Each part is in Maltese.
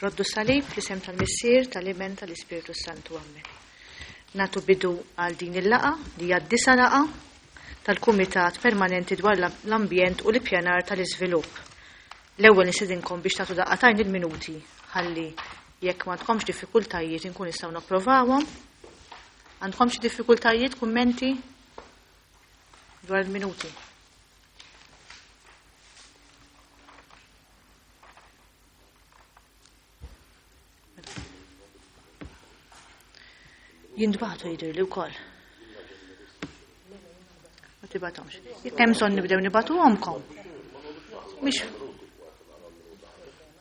Roddu salib fl-isem tal-Missier, tal-Iben, tal-Ispirtu Santu. Amen. Natu bidu għal din il-laqa li hija d-disa laqa tal-Kumitat Permanenti dwar l-Ambjent u l-Ippjanar tal-Iżvilupp. L-ewwel nistedinkom biex tagħtu daqqatajn il-minuti ħalli jekk m'għandkomx diffikultajiet inkun nistgħu napprovawhom. Għandkom xi diffikultajiet, kummenti dwar il-minuti? Jintbagħtu jidhirli wkoll. Ma tibatomx. Jekk hemm bżonn nibdew nibatuhomkom. Mhix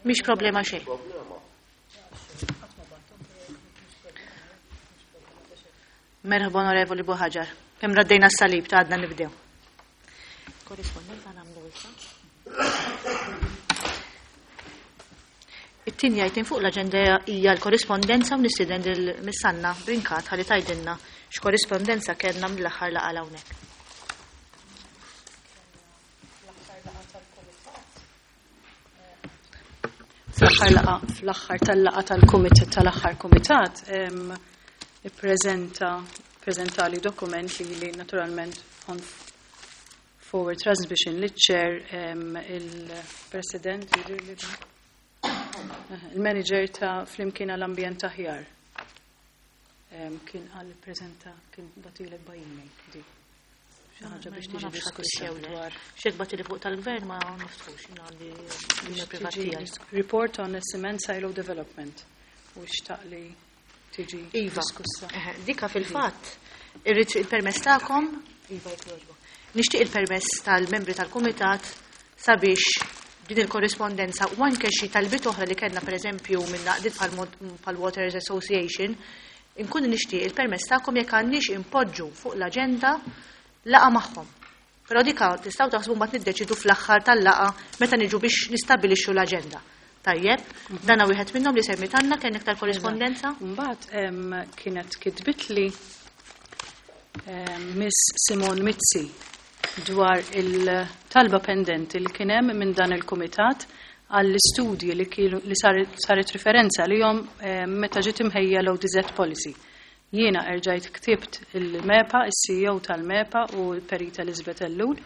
mhix problema xejn. Merħba Onorevoli Buħaġar. Kemm raddejna s-salib ta' għadna nibdew. Korrispondenza nagħmlu issa. It-tieni item fuq l-aġenda hija l-korrispondenza u nistieden lil Miss Anna Brincat ħalli tgħidilna x'korrispondenza kellna mill-aħħar laqgħa hawnhekk. Fl-aħħar laqa, fl-aħħar tal-laqa tal-kumitat tal-aħħar kumitat ippreżenta preżentali dokument li li naturalment on forward transmission li chair il-president il-manager ta' Flimkien għall-Ambjent Aħjar. Kien għal prezenta kien batilek by email di. Xi ħaġa biex tiġi diskussa dwar. Xek batili fuq tal-gvern ma niftħux għandi privat tiegħi. Report on cement silo development u xtaq li tiġi iva. diskussa. Dika fil-fatt irrid il-permess tagħkom, iva jekk jogħġbok. Nixtieq il-permess tal-membri tal-kumitat sabiex din il-korrispondenza u anke xi talbiet oħra li kellna pereżempju minn għaqdiet bħal Waters Association, inkun nixtieq il-permess tagħkom jekk għandniex impoġġu fuq l-aġenda laqa magħhom. Però dika tistgħu taħsbu mbagħad niddeċidu fl-aħħar tal-laqa meta niġu biex nistabbilixxu l-aġenda. Tajjeb, dana wieħed minnhom li semmi tanna kien iktar korrispondenza. Mbagħad kienet kitbitli Miss Simon Mizzi dwar il-talba pendenti li kien hemm minn dan il-kumitat għall-istudji li kienu li saret referenza li jom meta ġiet imħejja l-ODZ policy. Jiena erġajt ktibt il-MEPA, il-CEO tal-MEPA u l-Perita Elizabeth Ellul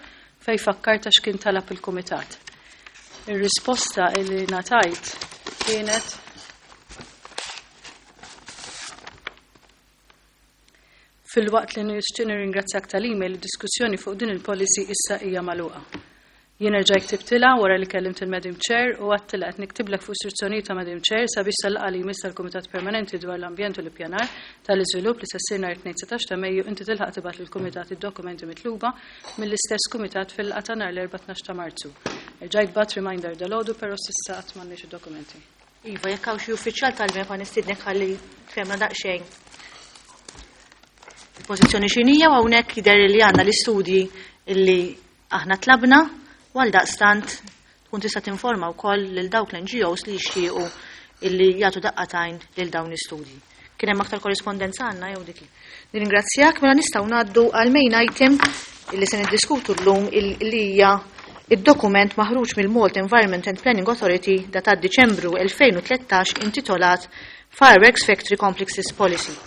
fej fakkarta x'kien talab il-kumitat. Ir-risposta li ngħatajt kienet Filwaqt li nixtieq nirringrazzjak tal-email, id-diskussjoni fuq din il-policy issa hija magħluqa. Jien erġajt ktibtilha wara li kellimt il-Madam Chair u għedtilha qed niktiblek fuq istruzzjonijiet ta' Madam Chair sabiex sal-laqgħa li jmiss tal-Kumitat Permanenti dwar l-Ambjent u l-Ippjanar tal-Iżvilupp li se ssir nhar it-Tnejn 19 ta' Mejju inti tilħaq tibgħat lill-Kumitat id-dokumenti mitluba mill-istess Kumitat fil-laqgħa ta' nhar l-Erbgħa 12 ta' Marzu. Erġajt bgħatt reminder dalgħodu però s'issa qatt m'għandniex id-dokumenti. Iva, jekk hawn xi uffiċjal tal-MEPA nistiednek ħalli tfehmna daqsxejn. Il-pożizzjoni x'inhija u hawnhekk jidher li għandna l-istudji illi aħna tlabna u għaldaqstant tkun tista' tinforma wkoll lil dawk l-NGOs li jixtiequ illi jagħtu daqqatajn lil dawn l-istudji. Kien hemm aktar korrispondenza għandna jew dik. Nirringrazzjak mela nistgħu ngħaddu għal main item illi se niddiskutu llum illi hija id-dokument maħruġ mill-Malta Environment and Planning Authority datat Diċembru 2013 intitolat Fireworks Factory Complexes Policy.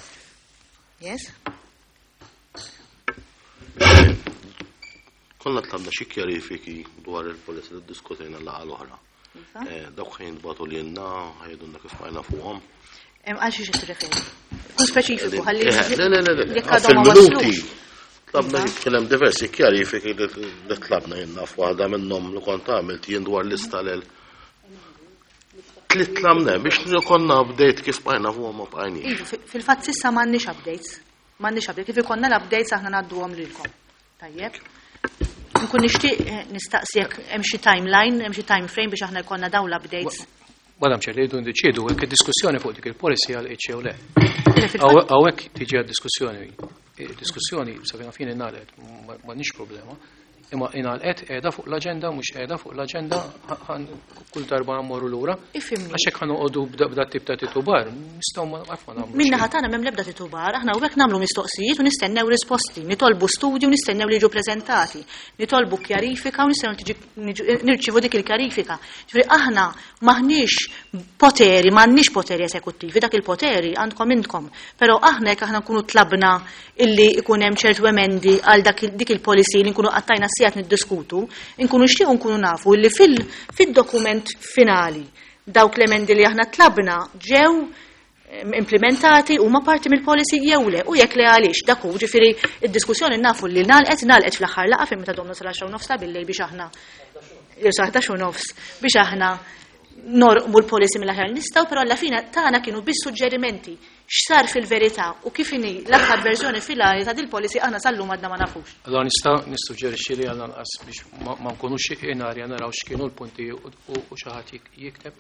Yes? Konna tlabna xi kjarifiki dwar il-policy li ddiskutejna l-laqgħa l-oħra. Iva. Eh, dawk ħajn batu li jenna, ħajdunna kif bqajna fuqhom. Għal xiex qed tirreferi? Kun speċifiku ħalli. Eh, le, le, le, le. Jekk għadhom ma waslux. Tlabna Iva. kien hemm diversi kjarifiki li tlabna jenna f'waħda minnhom li kont għamilt jien dwar lista lil Tliet tlabna biex konna update kif bqajna fuqhom ma bqajniex. Iva, fil-fatt s'issa m'għandniex updates. M'għandniex updates. Kif ikollna l-updates aħna ngħadduhom lilkom. Tajjeb. Nkun nixtieq eh, nistaqsi jekk hemm xi timeline, hemm xi time frame biex aħna jkollna dawn l-updates. Madam Chair, li jridu ndeċiedu jekk id-diskussjoni fuq dik il-policy għal jew le. Le, fil-fatt- Hawnhekk tiġi għad-diskussjoni. Diskussjoni sa fejn fini ngħalet, m'għandniex problema. Imma ingħalqet, qiegħda fuq l-aġenda, mhux qiegħda fuq l-aġenda, kull darba mmorru lura. Ifhimni. Għax hekk ħa noqogħdu b'da tip ta' titubar, nistgħu ma qatt ma nagħmlu. Min-naħa tagħna m'hemm l-ebda titubar, aħna hawnhekk nagħmlu mistoqsijiet u nistennew risposti, nitolbu studji u nistennew li jiġu preżentati, nitolbu kjarifika u nistennew tiġi nirċievu dik il-kjarifika. Ġifieri aħna m'aħniex poteri, m'għandniex poteri eżekuttivi, dak il-poteri għandkom intkom. Però aħna jekk aħna nkunu tlabna illi ikun hemm ċertu emendi għal dik il-policy li nkunu qattajna sigħat niddiskutu, nkunu nixtiequ nkunu nafu illi fid-dokument finali dawk l-emendi li aħna tlabna ġew implementati huma parti mill-policy jew le, u jekk le għaliex. Dak hu, ġifieri id-diskussjoni nafu li nagħlqet fl-aħħar laqgħa fejn meta domna sal-10:30 ta' billejl biex aħna jew sa 11:30 biex aħna norqmu l-policy mill-aħjar li nistgħu, però alla fina tagħna kienu biss suġġerimenti x'sar fil-verità u kif inhi l-aħħar verżjoni finali ta' dil-policy aħna sal-lum għadna ma nafux. Allora nista' nissuġġerixxi li għal anqas biex ma nkunux in arja naraw x'kienu l-punti u xi ħadd jikteb.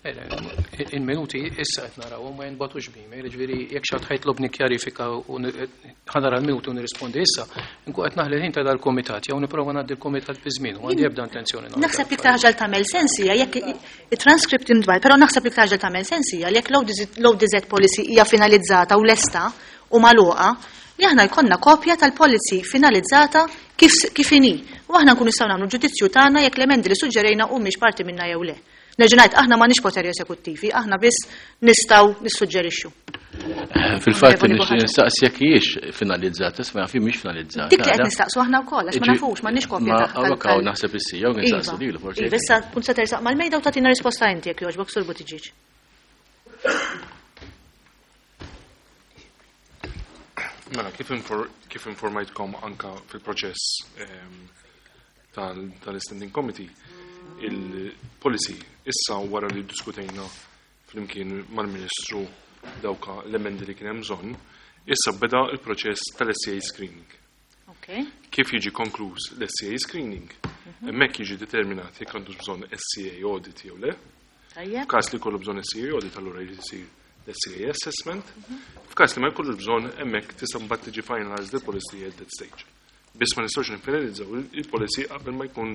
Il-minuti issa qed naraw ma jinbatux b'email, ġifieri jekk xi ħadd ħajtlobni kjarifika u ħanara l-minuti u nirrispondi issa, nkun qed naħli l-ħin ta' dal-kumitat jew nipprova ngħaddi l-kumitat bi żmien u għandi ebda intenzjoni nagħmel. Naħseb li iktar ħaġa li tagħmel sens hija jekk it-transcript intbagħat, però naħseb li iktar ħaġa li tagħmel sens hija li jekk l-ODZ policy hija finalizzata u lesta u magħluqa, li aħna jkollna kopja tal-policy finalizzata kif inhi. U aħna nkunu nistgħu nagħmlu ġudizzju tagħna jekk l-emendi li suġġerejna humiex parti minna jew le. Nerġa' ngħid, aħna m'għandniex poteri eżekuttivi, aħna biss nistgħu nissuġġerixxu. Fil-fatt nixtieq nistaqsi jekk hijiex finalizzata, isma' fi mhix finalizzata. Dik li qed nistaqsu aħna wkoll, għax ma nafux, m'għandniex kopja tagħha. Ma hawn naħseb issir, jew nistaqsu lilu forsi. Iva, issa kun se tersaq mal-mejda u tagħtina risposta inti jekk jogħġbok Sur Buttigieg. Mela, kif informajtkom anka fil-proċess tal-Standing Committee, il-policy issa wara li diskutejna flimkien mal-Ministru dawka l-emendi li kien hemm bżonn, issa beda il-proċess tal-SCA screening. Kif jiġi konkluż l-SCA screening, hemmhekk jiġi determinat jekk għandux bżonn SCA audit jew le. F'każ li jkollu bżonn SCA audit, allura jrid isir l-SCA assessment. F'każ li ma jkollux bżonn, hemmhekk tista' mbagħad tiġi finalized the policy at that stage. Biss ma nistgħux nifinalizzaw il-policy qabel ma jkun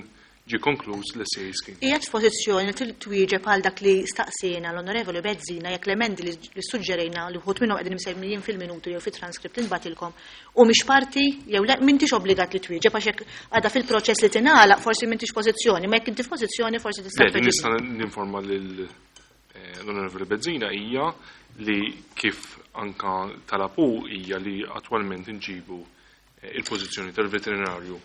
ġie konkluż l-SCA screening. Qiegħed f'pożizzjoni li twieġeb għal dak li staqsejna l-Onorevoli Bezzina jekk l-emendi li suġġerejna li wħud minnhom qegħdin imsemmijin fil-minuti jew fit-transkript li nbatilkom u mhix parti jew le, m'intix obbligat li twieġeb għax jekk għadha fil-proċess li tingħalaq forsi m'intix pożizzjoni, ma jekk inti f'pożizzjoni forsi tista' Le, li nista' ninforma lil l-Onorevoli Bezzina hija li kif anka talapu hija li attwalment inġibu il-pożizzjoni tal-veterinarju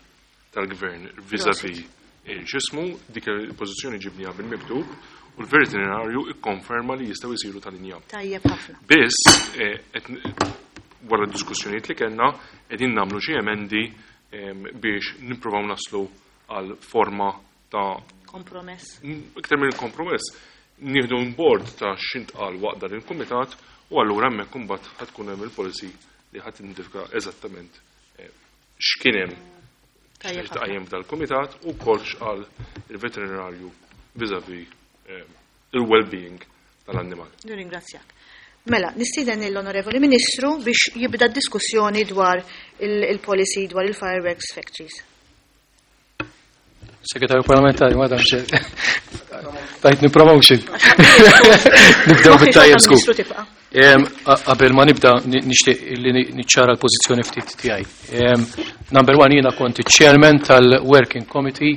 tal-gvern vis-à-vis x'ismu, dik il-pożizzjoni ġibniha bil-miktub u l-veterinarju ikkonferma li jistgħu jsiru tal-injam. Tajjeb ħafna. Biss wara d-diskussjonijiet li kellna qegħdin nagħmlu xi emendi biex nippruvaw naslu għal forma ta' kompromess. Iktar minn kompromess, nieħdu bord ta' x'intqal waqt dan il-kumitat u allura hemmhekk imbagħad ħad tkun hemm il-policy li ħadd identifika eżattament x'kien hemm Tajjeb ħafna. x'tqajjem f'dal-kumitat u wkoll x'qal il-veterinarju vis-à-vis il-well-being tal-annimal. Nirringrazzjak. Mela, nistieden l-Onorevoli Ministru biex jibda d-diskussjoni dwar il-policy dwar il-fireworks factories. Segretarju Parlamentari, Madam Chair. Tajtni promotion. Nibdew bit-tajjeb żgur. Ministru tibqa'. Qabel ma nibda nixtieq li niċċara l-pożizzjoni ftit tiegħi. Number one, jiena kont iċ-chairman tal-Working Committee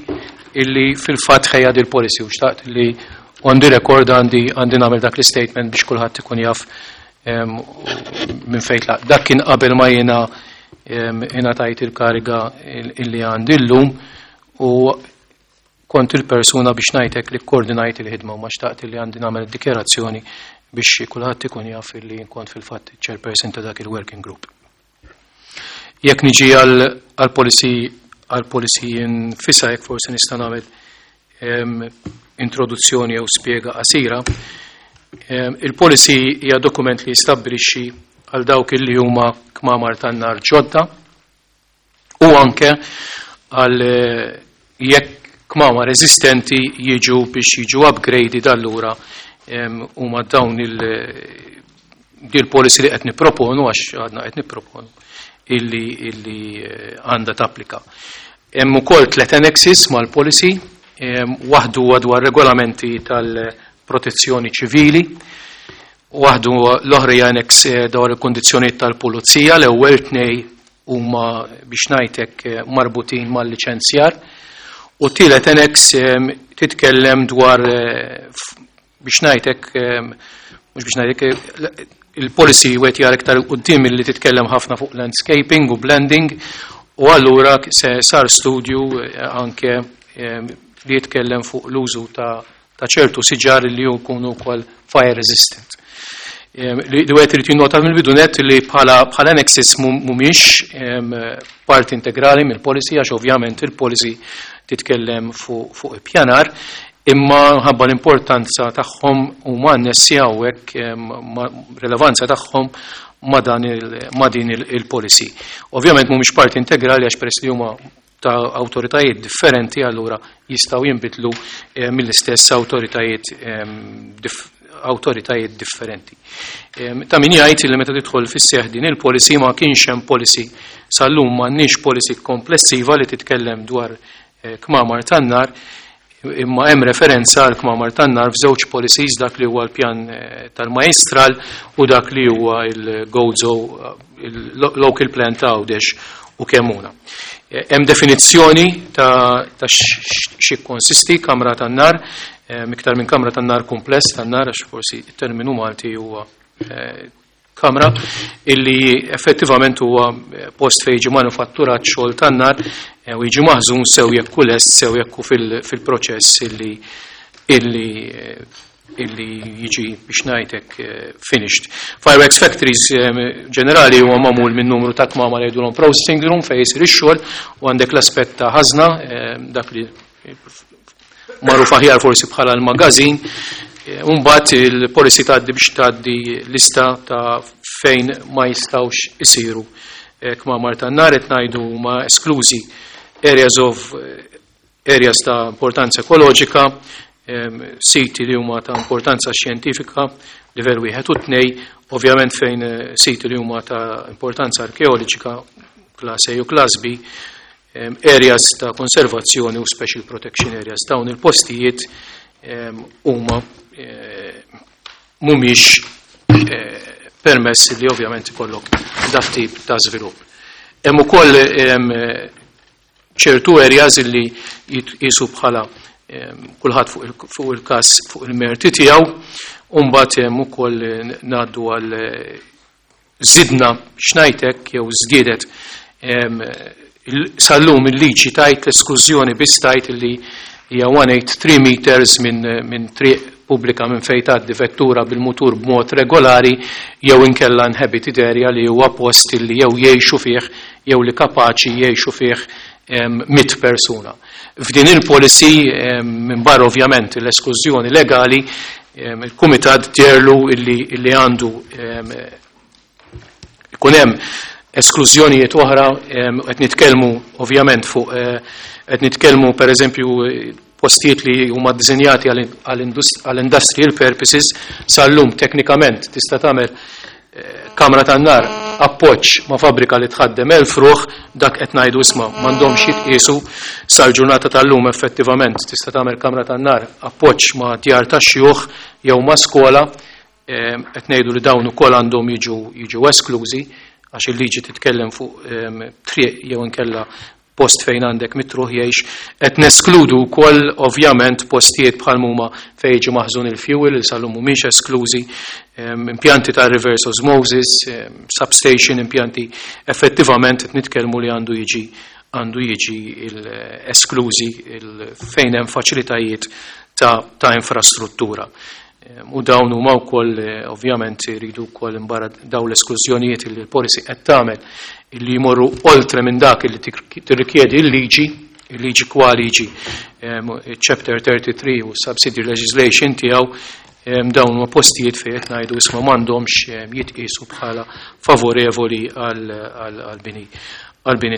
illi fil-fatt ħejja dil policy u xtaqt li on the record għandi nagħmel dak l-statement biex kulħadd ikun jaf minn fejn tlaq. Dak kien qabel ma jiena ingħatajt il-kariga illi għandi llum u kont il-persuna biex ngħidlek li koordinajt il-ħidma u ma xtaqt li għandi nagħmel dikjarazzjoni biex kulħadd ikun jaf li kont fil-fatt chairperson ta' dak il-working group. Jekk niġi għal-policy nfisha, jekk forsi nista' nagħmel introduzzjoni jew spjega qasira, il-policy hija dokument li jistabbilixxi għal dawk li huma kmamar tan-nar ġodda u anke għal jekk kmamar eżistenti jiġu biex jiġu upgraded allura huma dawn il policy li qed nipproponu, għax għadna qed nipproponu illi għandha tapplika. Hemm ukoll tliet annexes mal-policy, waħdu huwa dwar regolamenti tal-protezzjoni ċivili, waħdu l-oħra hija annex dwar il-kundizzjonijiet tal-pulizija, l-ewwel tnej huma biex ngħidlek marbutin mal-liċenzjar, u t-tielet annex titkellem dwar biex ngħidlek mhux biex ngħidlek il-policy wet jara iktar quddiem li titkellem ħafna fuq landscaping u blending, u allura se sar studju anke li jitkellem fuq l-użu ta' ċertu siġar li jkunu wkoll fire resistant. Li wieħed irid jinnota mill-bidu net li bħala annexes mhumiex parti integrali mill-policy, għax ovvjament il-policy titkellem fuq ippjanar, imma ħabba l-importanza tagħhom huma annessi hawnhekk, relevanza tagħhom ma' din il-policy. Ovvjament mhumiex parti integrali għax peress li huma ta' awtoritajiet differenti, allura jistgħu jinbidlu mill-istess awtoritajiet differenti. Ta' min jgħid li meta tidħol fis-seħħ din il-policy ma kienx hemm policy, sal-lum m'għandniex policy komplessiva li titkellem dwar kmamar tan-nar, imma hemm referenza għal kmamar tan-nar f'żewġ policies, dak li huwa l-pjan tal-Majjistral u dak li huwa il-Gozo, il-local plan ta' Għawdex u Kemmuna. Hemm definizzjoni ta' xi konsisti kamra tan-nar, iktar minn kamra tan-nar kumpless tan-nar, għax forsi it-terminu Malti huwa kamra, illi effettivament huwa post fejn jiġi manufatturat xogħol tan-nar u jiġi maħżun sew jekk hu lest, sew jekk hu fil-proċess illi jiġi biex ngħidlek finished. Fireworks factories ġenerali huwa magħmul minn numru ta' kmamar li jgħidulhom processing room fejn jsir ix-xogħol, u għandek l-aspett ta' ħażna, dak li magħruf aħjar forsi bħala l-magazin. Mbagħad il-policy tgħaddi biex tgħaddi lista ta' fejn ma jistgħux isiru kmamar tan-nar, qed ngħidu huma esklużi areas ta' importanza ekoloġika, siti li huma ta' importanza xjentifika, livell 1 u 2, ovvjament fejn siti li huma ta' importanza arkeoloġika, class A u class B, areas ta' konservazzjoni u special protection areas. Dawn il-postijiet huma mhumiex permess li ovvjament ikollok dak tip ta' żvilupp. Hemm ukoll ċertu areas li jitqisu bħala kulħadd fuq il-każ fuq il-merti tiegħu, u mbagħad hemm ukoll ngħaddu għal żidna x'ngħidlek jew żdiedet sal-lum il-liġi tajt l-esklużjoni biss tajt li hija 183 meters minn triq pubblika minn fejn tgħaddi vettura bil-mutur b'mod regolari jew inkella inhabited area li huwa post li jew jgħixu fih jew li kapaċi jgħixu fih 100 persuna. F'din il-policy, minn barra ovvjament l-esklużjoni legali, il-kumitat djerlu illi għandu ikun hemm esklużjonijiet oħra, qed nitkellmu ovvjament fuq, qed nitkellmu per eżempju postijiet li huma ddisinjati għal industrial purposes, sal-lum teknikament tista' tagħmel kamra tan-nar appoġġ ma' fabbrika li tħaddem 1000 ruħ, dak qed ngħidu isma' m'għandhomx jitqiesu. Sal-ġurnata tal-lum effettivament tista' tagħmel kamra tan-nar appoġġ ma' djar tax-xjuħ jew ma' skola, qed ngħidu li dawn ukoll għandhom jiġu esklużi għax il-liġi titkellem fuq triq jew inkella post fejn għandek mitruħ jgħix. Qed neskludu wkoll ovvjament postijiet bħal huma fejn jiġi maħżun il-fuel li sal-lum mhumiex esklużi, impjanti ta' reverse osmosis, substation, impjanti effettivament qed nitkellmu li għandu jiġi esklużi fejn hemm faċilitajiet ta' infrastruttura. U dawn huma wkoll ovvjament iridu wkoll imbarra dawn l-esklużjonijiet li l-policy qed tagħmel illi jmorru oltre minn dak li tirrikjedi l-liġi, il-liġi kwa liġi, chapter 33 u subsidiary legislation tiegħu, dawn huma postijiet fejn qed ngħidu isma' m'għandhomx jitqiesu bħala favorevoli għall-bini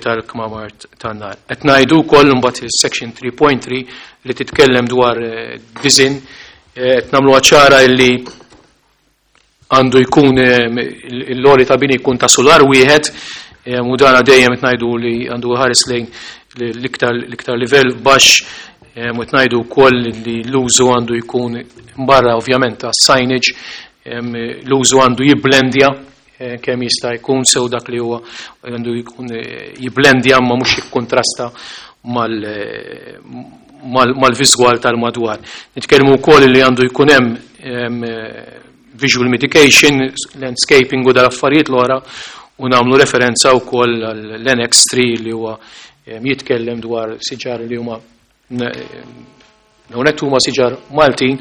tal-kmamar tan-nar. Qed ngħidu wkoll imbagħad is-section 3.3 li titkellem dwar design, qed nagħmluha ċara illi għandu jkun l-għoli ta' bini jkun ta' solar wieħed, u dana dejjem qed ngħidu li għandu ħares lejn l-iktar livell baxx u ngħidu wkoll li l-użu għandu jkun barra ovvjament ta' signage, l-użu għandu jibblendja kemm jista' jkun sew dak li huwa għandu jkun jibblendja ma mhux jikkontrasta mal-viżwal tal-madwar. Nitkellmu wkoll li għandu jkun hemm visual mitigation, landscaping u dal-affarijiet l-oħra u nagħmlu referenza wkoll l-Annex 3 li huwa jitkellem dwar siġar li huma hawnhekk huma siġar Maltin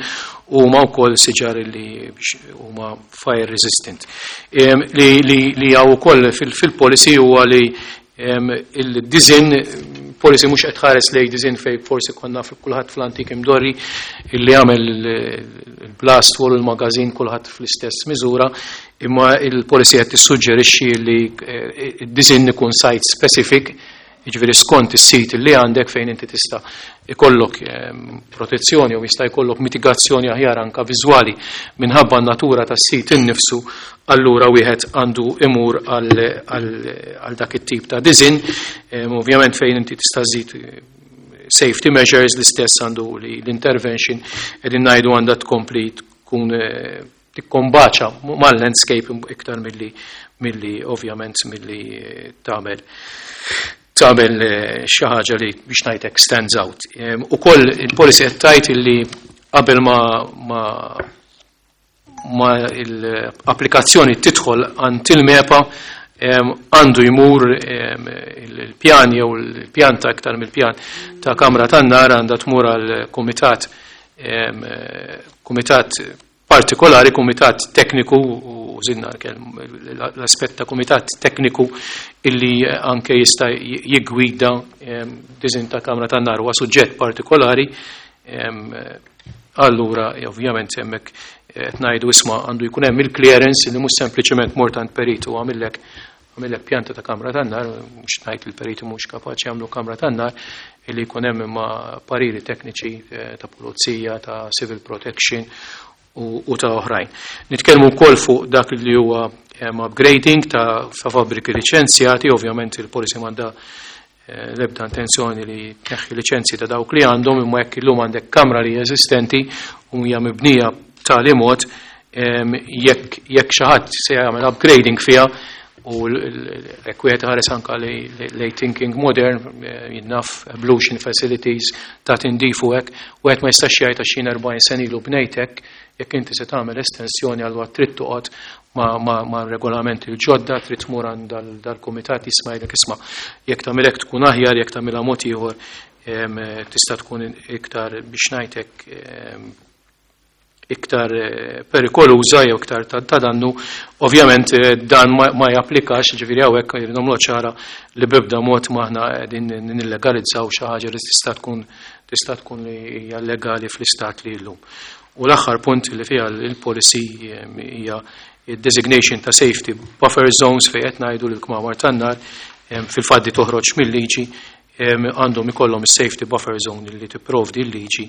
u huma wkoll siġar li huma fire resistant. Li hawn ukoll fil-policy huwa li il-design policy mhux qed tħares lejn design fej forsi konna kulħadd fl-antik imdorri illi għamel il-blast wall u l-magazin kulħadd fl-istess miżura, imma il-policy qed tissuġġerixxi li id-design ikun site specific, jiġifieri skont is-sit li għandek fejn inti tista' ikollok protezzjoni u jista' jkollok mitigazzjoni aħjar anka viżwali minħabba n-natura tas-sit innifsu, allura wieħed għandu imur għal dak it-tip ta' design. Ovvjament fejn inti tista' żżid safety measures l-istess għandu li l-intervention qegħdin ngħidu għandha tkompli tkun tikkombaċa mal-landscape iktar milli ovvjament milli tagħmel xi ħaġa li biex ngħidlek stands out. Ukoll il-policy qed tgħid illi qabel ma l-applikazzjoni tidħol għand il-MEPA għandu jmur il-pjan jew il-pjan ta' iktar mill-pjan ta' kamra tan-nar għandha tmur għal kumitat partikolari, kumitat tekniku, u żidna l-aspett ta' kumitat tekniku illi anke jista' jiggwida design ta' kamra tan-nar huwa suġġett partikolari. Allura ovvjament hemmhekk qed ngħidu isma' għandu jkun hemm il-clearance li mhux sempliċement mort għand perit u għamillek pjanta ta' kamra tan-nar, mhux ngħid il-periti mhux kapaċi jagħmlu kamra tan-nar, illi jkun hemm imma pariri tekniċi ta' pulizija, ta' civil protection u ta' oħrajn. Nitkellmu wkoll fuq dak li huwa upgrading ta' fabbriki liċenzjati, ovvjament il-policy m'għandha l-ebda intenzjoni li tneħħi liċenzji ta' dawk li għandhom, imma jekk illum għandek kamra li eżistenti u hija mibnija b'tali mod, jekk xi ħadd se jagħmel upgrading fiha u jekk wieħed ħares anka lej thinking modern, jinnaf ablution facilities ta' tindif u hekk, wieħed ma jistax jgħid għax jien 40 sena ilu bnejtek, jekk inti se tagħmel estensjoni allura trid toqgħod ma' regolamenti l-ġodda, trid tmur għand dal-kumitat jisma' jgħidlek isma' jekk tagħmel hekk tkun aħjar, jekk tagħmilha mod ieħor tista' tkun iktar biex ngħidlek iktar perikoluża jew iktar ta' dannu. Ovvjament dan ma japplikax, ġifieri hawnhekk irrid nagħmlu ċara li b'ebda mod ma aħna qegħdin nillegalizzaw xi ħaġa li tista' tkun li hija legali fl-istat li llum. U l-aħħar punt li fiha il-policy hija designation ta' safety buffer zones fejn qed ngħidu li l-kmamar tan-nar fil-faddi toħroġ mill-liġi għandhom ikollhom is-safety buffer zone li tipprovdi l-liġi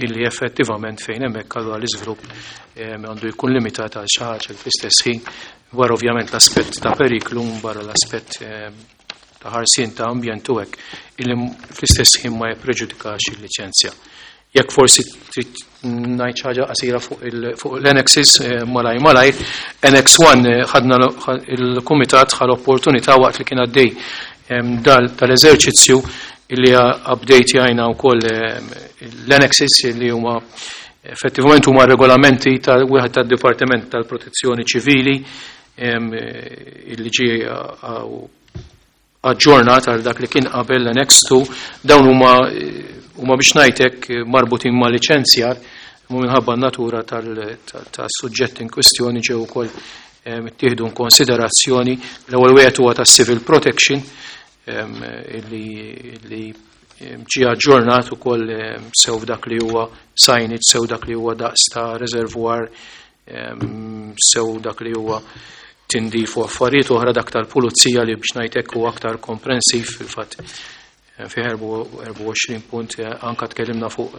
illi effettivament fejn hemmhekk allura l-iżvilupp għandu jkun limitat għal xi ħaġa fl-istess ħin wara ovvjament l-aspett ta' periklu barra l-aspett ta' ħarsien ta' ambjent u hekk illi fl-istess ħin ma jippreġudikax il-liċenzja. Jekk forsi trid ngħid xi ħaġa qasira fuq l-annexes malaj malaj, Annex 1 ħadna il-kumitat ħa l-opportunità waqt li kien għaddej tal-eżerċizzju illi update jajna wkoll l-annexes li huma effettivament huma regolamenti tal-wieħed tad-Dipartiment tal-Protezzjoni Ċivili illi ġie aġġornat għal dak li kien qabel l-Annex 2, dawn huma biex ngħidlek marbutin ma' liċenzjar, u minħabba n-natura tas-suġġett in kwistjoni ġew ukoll ittieħdu in konsiderazzjoni. L-ewwel wieħed huwa tas-civil protection illi ġie aġġornat ukoll sew dak li huwa signage, sew dak li huwa daqs ta' reservoir, sew dak li huwa tindif u affarijiet oħra, dak tal-pulizija li biex ngħidlek huwa aktar komprensiv fil-fatt. Fi 24 punt anka tkellimna fuq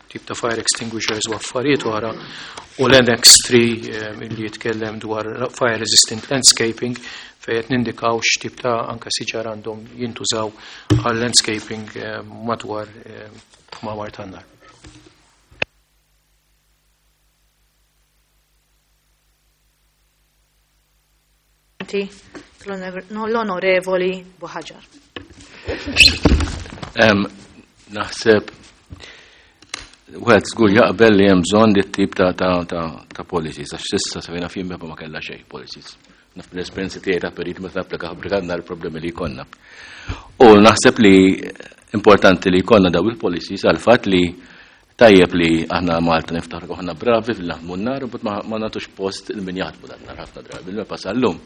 tip ta' fire extinguishers u affarijiet oħra u l-Annex 3 li jitkellem dwar fire resistant landscaping fejn qed nindikaw x'tip ta' anka siġar għandhom jintużaw għal landscaping madwar kmamar tan-nar. L-Onorevoli Buhaġar. Naħseb wieħed żgur jaqbel li hemm bżonn li tip ta' ta' ta' ta' policies għax s'issa sa fejn naf ma kellha xejn policies. Naf l-esperjenza tiegħi ta' perit meta napplika ħabrika l-problemi li jkollna. U naħseb li importanti li jkollna daw il-policies għal fatt li tajjeb li aħna Malta niftaħru aħna bravi fil-naħdmu n-nar, but ma nagħtux post il min jaħdmu dan nar ħafna drabi. Il-MEPA sal-lum.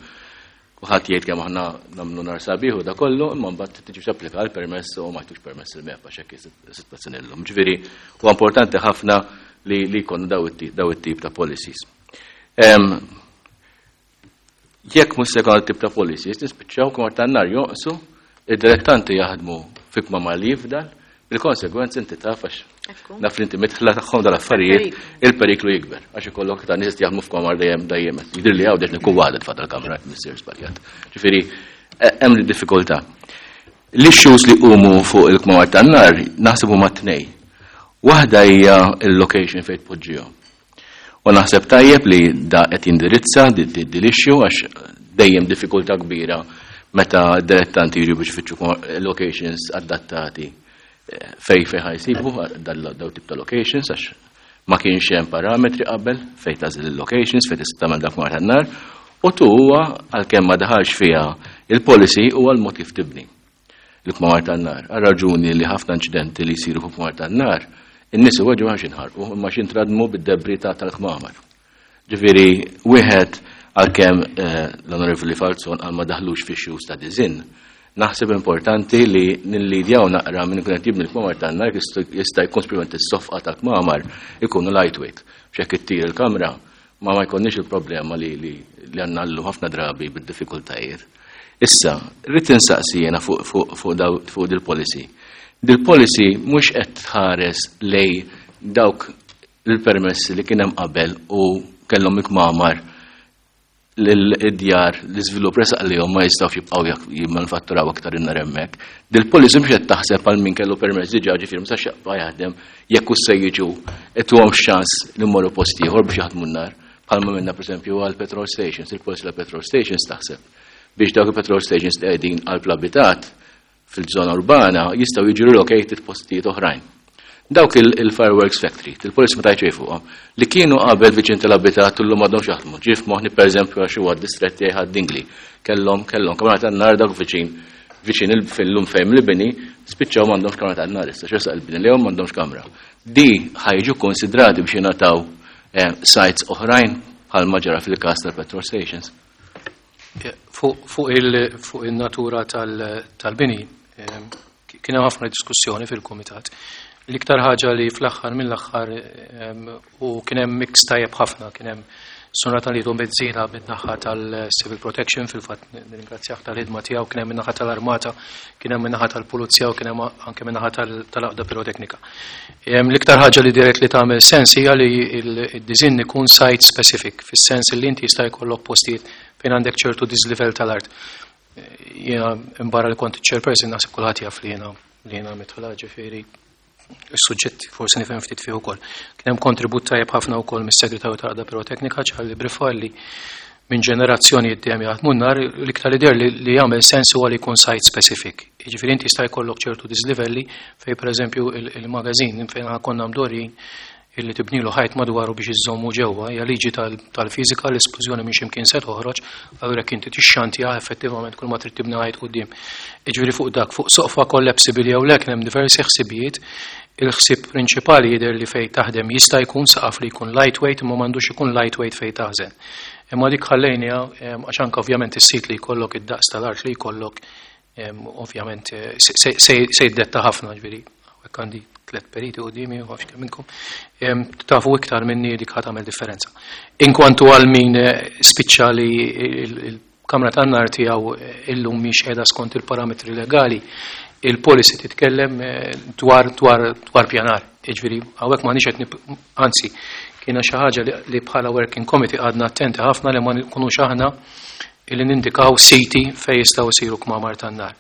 Kulħadd jgħid kemm aħna nagħmlu nar sabiħ u da kollu, imma mbagħad tiġi tapplika għal permess u ma jtux permess il-MEPA x'hekk is-sitwazzjoni llum. Ġifieri huwa importanti ħafna li li jkollna daw it-tip ta' policies. Jekk mhux se jkollna tip ta' policies, nispiċċaw kmamar tan-nar jonqsu, id-dilettanti jaħdmu fi kmamar li jifdal, bil-konsegwenzi inti taf għax naf li inti mitħla tagħhom dal-affarijiet, il-periklu jikber għax ikollok ta' nies jaħdmu f'kamar dejjem dejjem. Jidher li hawn nikun waħda tfadal kamra missier żbaljat. Ġifieri hemm diffikultà. L-issues li qumu fuq il-kmamar tan-nar naħseb huma tnej. Waħda hija il-location fejn tpoġġihom. U naħseb tajjeb li da qed jindirizza dil-issue għax dejjem diffikultà kbira meta d-dilettanti jiġu biex ifittxu locations adattati fej ħa jsibu daw tip ta' locations għax ma kienx hemm parametri qabel fej tażil il-locations fej tista' tagħmel dak mar tan-nar u tu huwa għalkemm ma daħalx fiha il-policy huwa l-mod kif tibni il-kmamar tan-nar. Għal raġuni li ħafna inċidenti li jsiru fuq kmamar tan-nar, in-nies iweġġu għax inħarqu imma x'intradmu bid-debri ta' tal-kmamar. Ġifieri wieħed għalkemm l-Onorevoli Falzon għal ma daħlux fi issues ta' design, naħseb importanti li nillidjaw naqra minn ikun qed jibni l-kmamar tan-nar jista' jkun speċjalment is-sofqa tal-kmamar ikunu lightweight. B'xekk ittir il-kamra ma jkollniex il-problema li li għandna llum ħafna drabi bid-diffikultajiet. Issa, rrid insaqsi jiena fuq dil-policy. Dil-policy mhux qed tħares lej dawk il-permessi li kien hemm qabel u kellhom ikmamar l-djar l-iżvilupp resaq li ma jistgħux jibqgħu jimmanufatturaw aktar in-nar hemmhekk. Dil-policy mhux qed taħseb għal min kellu permess diġà ġifieri ma sax jaqba' jaħdem jekk hux se jiġu ituhom xans li mmorru post ieħor biex jaħdmu n-nar. Bħalma minna pereżempju għal petrol stations, il-policy tal petrol stations taħseb biex dawk il-petrol stations li qegħdin għal abitat fil-żona urbana jistgħu jiġu relocated postijiet oħrajn. Dawk il-fireworks factory, il-policy ma tajċej fuqhom, li kienu qabel viċin tal-abitat illum m'għadhomx jaħdmu. Ġif moħni pereżempju għax huwa distretti Ħad-Dingli. Kellhom kellhom kamra tan-nar dawk viċin viċin fil-lum fejn li bini spiċċaw m'għandhomx kamra tan-nar issa x'resaq il-bini li m'għandhomx kamra. Di ħa jiġu konsidrati biex jingħataw sites oħrajn bħal ma ġara fil-każ tal-petrol stations. Fuq il-natura tal-bini, kien hemm ħafna diskussjoni fil-kumitat. L-iktar ħaġa li fl-aħħar mill-aħħar u kien hemm mix tajjeb ħafna, kien hemm Sonata li Bezzina min-naħa tal-Civil Protection, fil-fatt nirringrazzjah tal-ħidma tiegħu, kien hemm min-naħa tal-Armata, kien hemm min-naħa tal-Pulizija u kien hemm anke min-naħa tal-Għaqda Piroteknika. L-iktar ħaġa li dirett li tagħmel sens hija li d-design ikun site specific, fis-sens li inti jista' jkollok postijiet fejn għandek ċertu dislevel tal-art. Jiena imbarra li kont chairperson naħseb kulħadd jaf li jiena midħla ġifieri is-suġġett forsi nifhem ftit fih ukoll. Kien hemm kontribut tajjeb ħafna wkoll mis-segretarju tal-Għaqda Piroteknika Charlie Briffa li minn ġenerazzjoni dejjem jaħdmu n-nar l-iktar idea li jagħmel sens huwa li jkun site specific. Jiġifieri inti jista' jkollok ċertu dislivelli fejn pereżempju il-magazin fejn konna mdorrin illi tibnilu ħajt madwaru biex iżommu ġewwa, hija liġi tal-fiżika l-esplużjoni minn x'imkien se toħroġ, allura jekk inti tixxantja effettivament kull ma trid tibni ħajt quddiem. Jiġifieri fuq dak, fuq soqfa collapsible jew le kien hemm diversi ħsibijiet. Il-ħsieb prinċipali jidher li fejn taħdem jista' jkun saqaf li jkun lightweight imma m'għandux ikun lightweight fejn taħżen. Imma dik ħallejniha għax anke ovvjament is-sit li jkollok id-daqs tal-art li jkollok ovvjament se jiddetta ħafna ġifieri. Hekk għandi tlet periti quddiemi u għax kemm minnkom. Tafu iktar minni dik ħa tagħmel differenza. Inkwantu għal min spiċċa li il-kamra tan-nar tiegħu illum mhix qiegħda skont il-parametri legali, Il-policy titkellem dwar pjanar. Jiġifieri hawnhekk m'għandniex qed, anzi, kiena xi ħaġa li bħala working committee għadna attenti ħafna li ma nkunux aħna illi nindikaw siti fejn jistgħu jsiru kmamar tan-nar.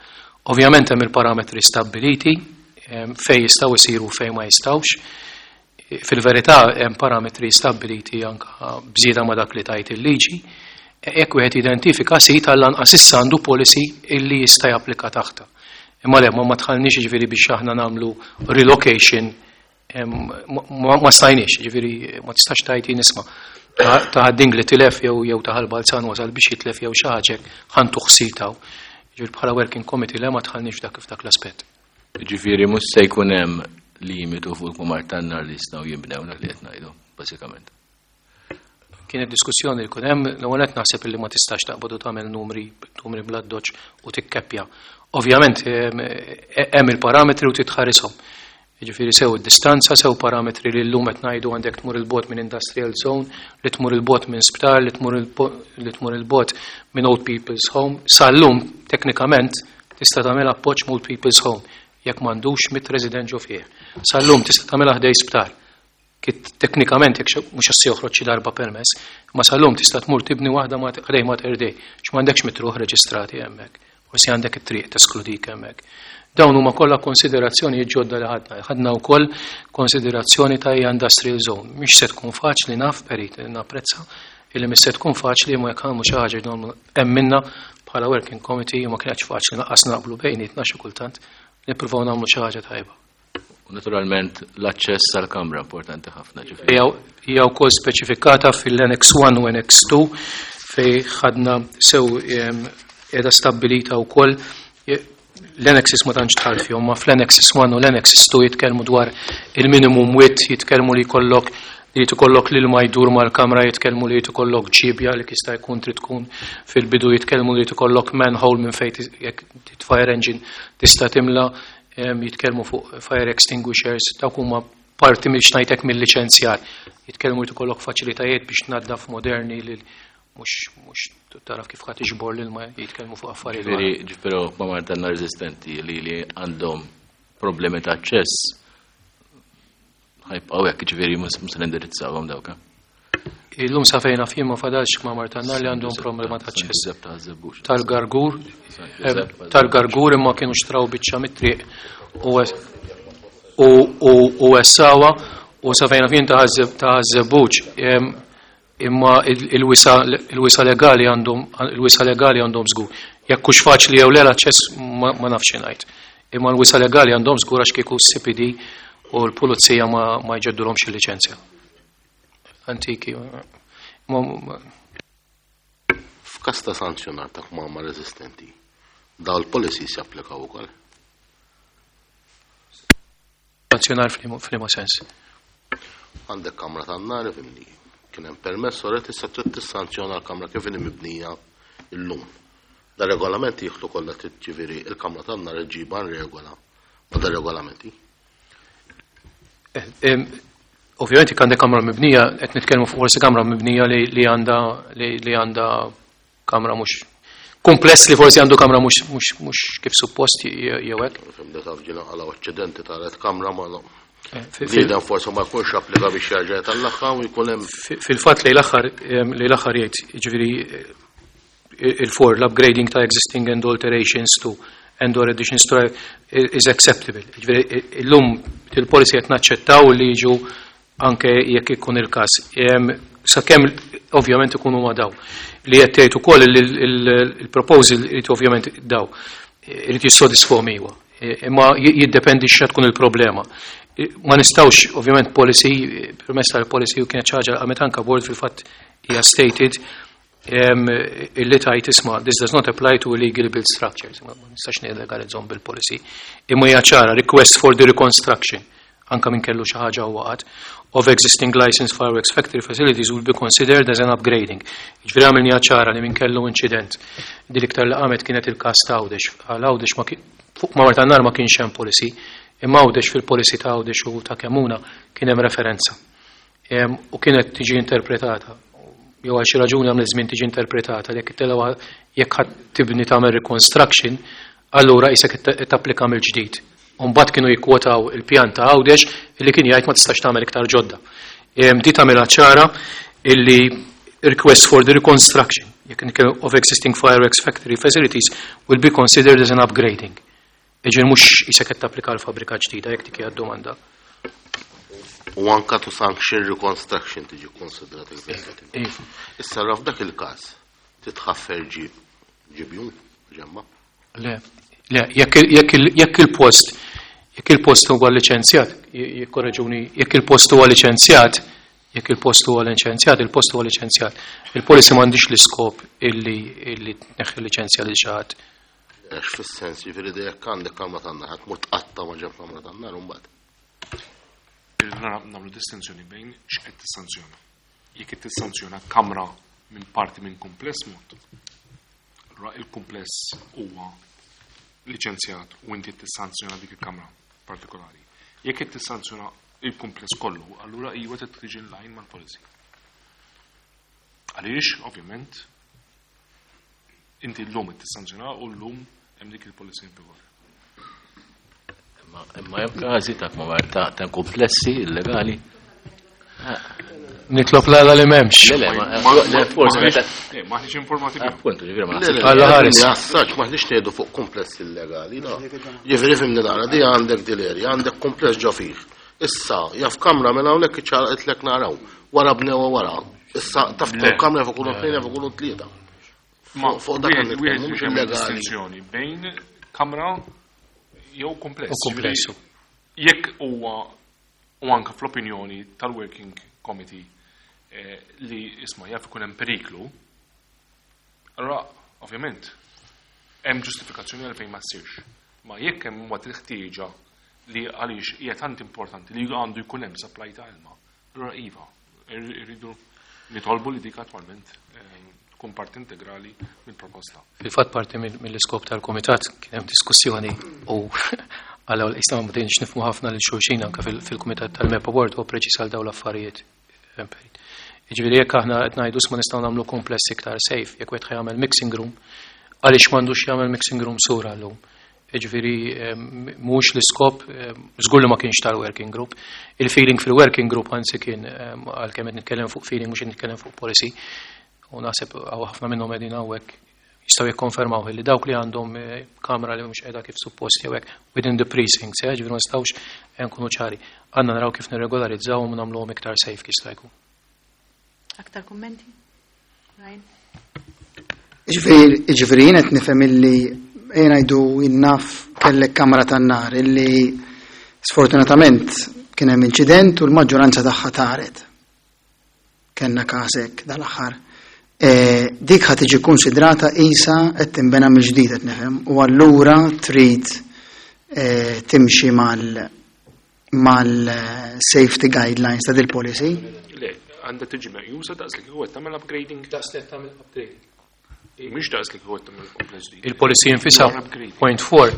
Ovvjament hemm il-parametri stabbiliti fejn jistgħu jsiru u fejn ma jistgħux. Fil-verità hemm parametri stabbiliti anke bżieda ma' dak li tajt il-liġi. Jekk wieħed identifika sit, għall-anqas issa għandu policy illi jista' japplika taħta. Imma le, ma dħalniex, ġifieri, biex aħna nagħmlu relocation, ma stajniex, ġifieri ma tistax tgħid, nisma', ta' Ħad-Dingli tilef jew ta' Ħal Balzan wasal biex jitlef jew xi ħaġa, ħa ntuh sitaw. Ġifieri bħala working committee le, ma dħalniex dak f'dak l-aspett. Ġifieri mhux se jkun hemm limitu fuq il-kmamar tan-nar li jistgħu jinbnew, dak li qed ngħidu, bażikament. Kienet diskussjoni li kien hemm. L-ewwel qed naħseb li ma tistax taqbad u tagħmel numri bl-addoċċ u tikkeppja. Ovvjament hemm il-parametri u titħarishom. Jiġifieri sew id-distanza, sew parametri li llum qed ngħidu għandek tmur il-bogħod minn industrial zone, li tmur il-bogħod minn sptar, li tmur il-bogħod minn old people's home. Sal-lum teknikament tista' tagħmel appoġġ old people's home jekk m'għandux 100 resident ġo fih. Sal-lum tista' tagħmilha ħdejn sptar. Kit teknikament jekk mhux se joħroġ xi darba permess, ma sal-lum tista' tmur tibni waħda ma ħdejn Mater Dei, x'm'għandekx mitt ruħ reġistrati hemmhekk. Forsi għandek it-triq teskludik hemmhekk. Dawn huma kollha konsiderazzjoni ġodda li ħadna. Ħadna wkoll konsiderazzjoni ta' industrial zone. Mhix se tkun faċli, naf, perit, napprezza illi mhix se tkun faċli, ma jekk għamlu xi ħaġa hemm minna bħala working committee ma kienx faċli naqqas naqblu bejnietna xi kultant, nippruvaw nagħmlu xi ħaġa tajba. U naturalment l-aċċess għal-kamra importanti ħafna, ġifieri. Hija wkoll speċifikata fil-Annex 1 u Annex 2 fej ħadna sew qiegħda stabbilita wkoll. L-annexes ma tantx dħalt fihom, ma fl-annexes 1 u l-annexes 2 jitkellmu dwar il-minimum width, jitkellmu li jkollok l-ilma jdur mal-kamra, jitkellmu li jkollok ġibja li jista' jkun trid tkun fil-bidu, jitkellmu li jkollok manhole minn fejn jekk fire engine tista' timla, jitkellmu fuq fire extinguishers, dawk huma parti minn ngħidlek mill-liċenzjar. Jitkellmu li jkollok faċilitajiet biex tnaddaf moderni li mhux taraf kif ħadd iġbor l-ilma, jitkellmu fuq affarijiet. Ġifieri, ġifieri kmamar tan-nar eżistenti li għandhom problemi ta' aċċess ħa jibqgħu hekk, ġifieri mhux se nindirizzawhom dawk. Illum sa fejn naf jien ma fadalx kmamar tan-nar li għandhom problema ta' aċċess. Giuseppe ta' Żebbuġ. Tal-Gargur, Giuseppe. Tal-Gargur imma kienu xtraw biċċa mit-triq u wessgħuha u sa fejn naf jien ta' Żebbuġ imma il-wisa' legali għandhom żgur. Jekk hux faċli jew le l-aċċess ma nafx ngħid. Imma l-wisa' legali għandhom żgur għax kieku CPD u l-pulizija ma jġeddulhomx il-liċenzja. Antiki. F'każ ta' sanzjonar ta' kmamar eżistenti, daw il-policies japplikaw ukoll? Sanzjonar f'liema sens? Għandek kamra tan-nar, ifhimni. Kien hemm permess u issa trid tissanzjona l-kamra kif inhi mibnija illum. Da regolamenti jieħdu kollha, ġifieri il-kamra tan-nar iġġibha regola ma da regolamenti. Ovvjament jekk għandek kamra mibnija, qed nitkellmu fuq forsi kamra mibnija li għandha kamra mhux kumpless li forsi għandu kamra mhux kif suppost jew hekk. Fimda taf ġina għala aċċidenti ta' kamra ma Bniedem forsi ma jkunx applika biex jerġa' jtellagħha u jkun hemm Fil-fatt li l-aħħar jgħid, jiġifieri il-for l-upgrading ta' existing and alterations to and or additions to is acceptable. Jiġifieri illum il-policy qed naċċettaw li jiġu anke jekk ikun il-każ. Sakemm ovvjament ikunu ma daw. Li qed tgħid ukoll il-proposal irid ovvjament daw irid jissodisfahom, iwa. Imma jiddependi x'ha tkun il-problema. Ma nistgħux ovvjament policy, permess tal-policy u kienet ħaġa għamet anka board, fil-fatt hija stated illi tajt, isma', this does not apply to illegally built structures. Ma nistax nillegalizzahom bil-policy. Imma hija ċara, request for the reconstruction, anka min kellu xi ħaġa u waqgħet, of existing licensed fireworks factory facilities will be considered as an upgrading. Ġifieri għamilni ċara li min kellu incident. Din iktar li qamet kienet il-każ ta' Għawdex. Għal Għawdex ma fuq kmamar tan-nar ma kienx hemm policy, imma Għawdex fil-policy ta' Għawdex u ta' Kemmuna kien hemm referenza. U kienet tiġi interpretata, jew għal xi raġuni għamlet żmien tiġi interpretata li jekk ħadd tibni tagħmel reconstruction. Allura qisek qed tapplika mill-ġdid. U mbagħad kienu jikkwotaw il-pjan ta' Għawdex illi kien jgħid ma tistax tagħmel iktar ġodda. Di tagħmilha ċara illi request for the reconstruction of existing fireworks factory facilities will be considered as an upgrading. Jiġifieri mhux qisek qed tapplika għal fabbrika ġdida jekk dik hija d-domanda. U anka to sanction reconstruction tiġi konsidrata Iva. Issa allura f'dak il-każ titħaffer ġibjun ġemma? Le, le, jekk il-post jekk il-post huwa liċenzjat, jikkorreġuni, jekk il-post huwa liċenzjat, jekk il-post huwa liċenzjat, il-post huwa liċenzjat. Il-policy m'għandix l-iskop illi tneħħi liċenzja lil xi ħadd. Għax fis-sens, jiġifieri jekk għandek kamra tan-nar, ħadd mur tqatta' ma ġeb kamra tan-nar u mbagħad. Irridu nagħmlu distinzjoni bejn x'qed tissanzjona. Jekk qed tissanzjona kamra minn parti minn kumpless mod. Allura il-kumpless huwa liċenzjat u inti tissanzjona dik il-kamra partikolari. Jekk qed tissanzjona il-kumpless kollu, allura iva trid tiġi in line mal-policy. Għaliex, ovvjament, inti llum qed tissanzjona u llum hemm dik il-policy in vigor. Imma hemm każi ta' kmamar ta' komplessi illegali. Nitlob l-għala li m'hemmx. Le, le, ma, le, forsi meta Maħniex informati bihom. Appuntu, ġifieri ma Le, le, naħsibx. Alla ħares. li għassaċ, maħniex ngħidu fuq kumpless illegali, no. Ġifieri fimni nara, di għandek dil-area, għandek kumpless ġo fih. Issa, jaf kamra minn hawnhekk iċċaqlek naraw, wara bnewa wara. Issa taf Le. tkun kamra jaf ikunu tnejn, jaf ikunu tlieta. Ma Fuq dak wieħed għandek wieħed mhux biex jagħmel illegali. distinzjoni bejn kamra jew kumpless. U kumpless. Ġifieri, Jekk huwa u anke fl-opinjoni tal-Working Committee li isma' jaf ikun hemm periklu, allura ovvjament hemm ġustifikazzjoni għalfejn ma ssirx. Ma jekk hemm huwa il-ħtieġa li għaliex hija tant importanti li għandu jkun hemm supply ta' ilma, allura iva, irridu nitolbu li dik attwalment tkun parti integrali mill-proposta. Fil-fatt parti mill-iskop tal-komitat kien hemm diskussjoni u għal isna ma bdejniex nifhmu ħafna lil xulxin anke fil-kumitat tal-MEPA Board u preċiż għal dawn l-affarijiet. Jiġifieri jekk aħna qed ngħidu ma nistgħu nagħmlu kumpless iktar safe, jekk wieħed jagħmel mixing room, għaliex m'għandux jagħmel mixing room sura llum. Jiġifieri mhux l-iskop, żgur li ma kienx tal-working group. Il-feeling fil-working group anzi kien għalkemm qed nitkellem fuq feeling mhux qed nitkellem fuq policy. U naħseb hawn ħafna minnhom qegħdin hawnhekk jistgħu jikkonfermaw li dawk li għandhom kamra li mhux qiegħda kif suppost jew hekk within the precincts, ġifieri ma nistgħux nkunu ċari. Għandna naraw kif nirregolarizzawhom u nagħmluhom iktar safe kif jista' jkun. Aktar kummenti? Ryan? Ġifieri jien qed nifhem illi jien ngħidu naf kellek kamra tan-nar illi sfortunatament kien hemm inċident u l-maġġoranza tagħha taret. Kellna każ hekk dal-aħħar. Dik ħa tiġi konsidrata isa qed tinbena mill-ġdid qed nifhem u allura trid timxi mal-safety guidelines ta' dil-policy. Le, għandha tiġi meqjusa daqs li kieku qed tagħmel upgrading. Daqs li qed tagħmel upgrading. Mhix daqs li kieku qed tagħmel kumpless ġdid. Il-policy infisha You are upgrading. point 4,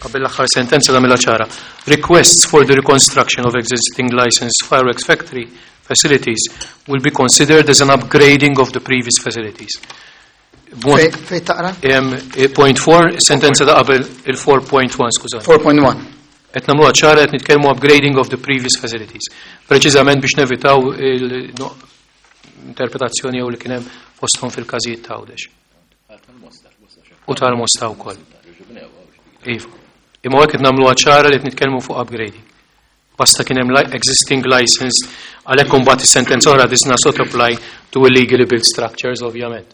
qabel l-aħħar sentenza tagħmilha ċara. Requests for the reconstruction of existing licensed fireworks factory facilities will be considered as an upgrading of the previous facilities. Fej taqra? Point 4, sentenza ta' qabel il-4.1, skużani. 4.1. Qed nagħmluha ċara qed nitkellmu upgrading of the previous facilities. Preċiżament biex nevitaw il-interpretazzjoni jew li kien hemm fosthom fil-każijiet ta' Għawdex. U tal-Mosta wkoll. Iva. Imma hekk qed nagħmluha ċara li qed nitkellmu fuq upgrading. Basta kien hemm existing license għalhekk imbagħad is-sentenza oħra does not apply to illegally built structures ovvjament.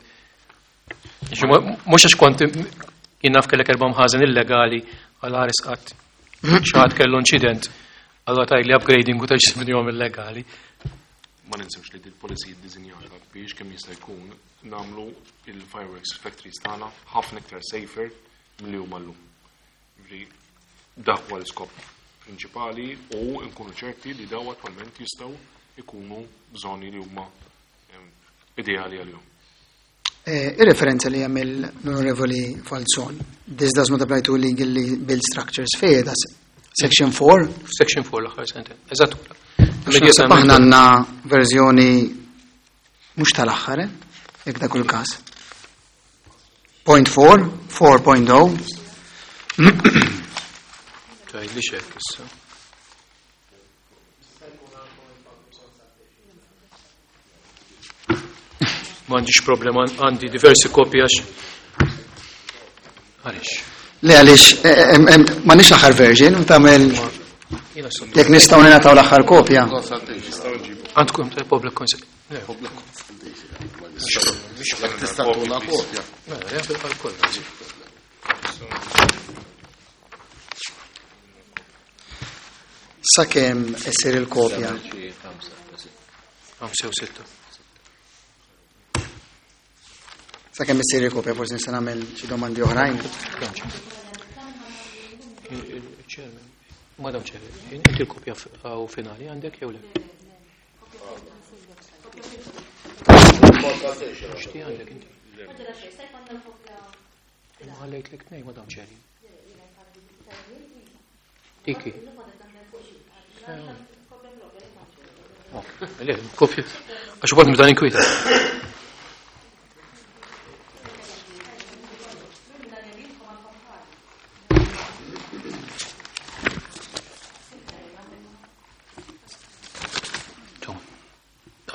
Mhux għax kont jien naf kellek erba' mħażen illegali għal ħares qatt. Xi ħadd kellu inċident allura tgħid li upgrading u terġa' illegali. Ma ninsewx li dil-policy ddisinjata biex kemm jista' jkun nagħmlu il-fireworks factories tagħna ħafna iktar safer milli huma llum. Ġifieri dak huwa l-iskop prinċipali u nkunu ċerti li daw attwalment jistgħu ikunu żoni li huma ideali għalihom. Ir-referenza li jagħmel l-Onorevoli Falzon, this does not apply to illegally built structures, fejn das section 4? Section 4 l-aħħar sentenza. Eżatt. Naħseb aħna għandna verżjoni mhux tal-aħħar, jekk dak il-każ. Point 4, 4.0. Tgħidli x'hekk issa. M'għandix problema, għandi diversi kopji għax. Għaliex? Le għaliex, eh, eh, eh, m'għandix l-aħħar version, u tagħmel jekk nistgħu ningħataw l-aħħar kopja. Għandkom ta' public consent. Tista' tuna kopja. Sakemm issir il-kopja. 5 u 6. Sakemm issir il-kopja forsi nista' nagħmel xi domandi oħrajn. Madam Chair, inti l-kopja u finali għandek jew le? Xti għandek inti? Ma ħallejt lek tnej, Madam Chair. Diki. Le, kopja. Għax ukoll nibda ninkwita.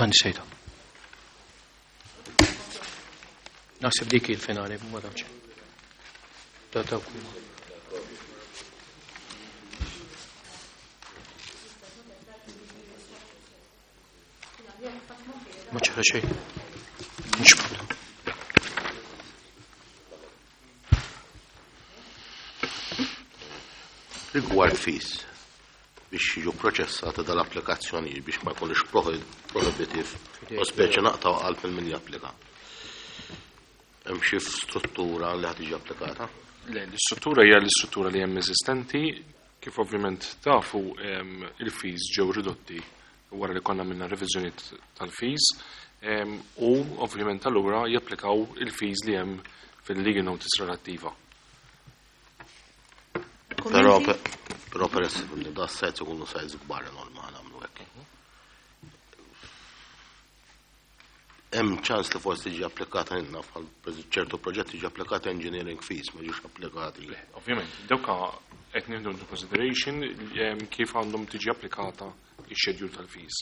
Għan sejta. Naħseb dik il-finali, ma tafx. Ta' ta' kuma. Ma ċara xejn. Mhux problema. Rigward fis biex jiġu proċessati dal-applikazzjonijiet biex ma jkunux prohibitive u speċi naqtaw qalb il min japplika. Hemm xi struttura li ħad tiġi applikata? Le, l-istruttura hija l-istruttura li hemm eżistenti, kif ovvjament tafu il-fees ġew ridotti wara li konna minna reviżjonijiet tal-fees u ovvjament allura japplikaw il-fees li hemm fil-legal notice relattiva. Però però peress li da sajts ikunu sajts kbar enormi nagħmlu hekk. Hemm ċans li forsi tiġi applikata inna bħal ċertu proġetti tiġi applikata engineering fees ma ġiex applikati. Ovvjament, dawka qed nieħdu into consideration kif għandhom tiġi applikata x-schedule tal-fees.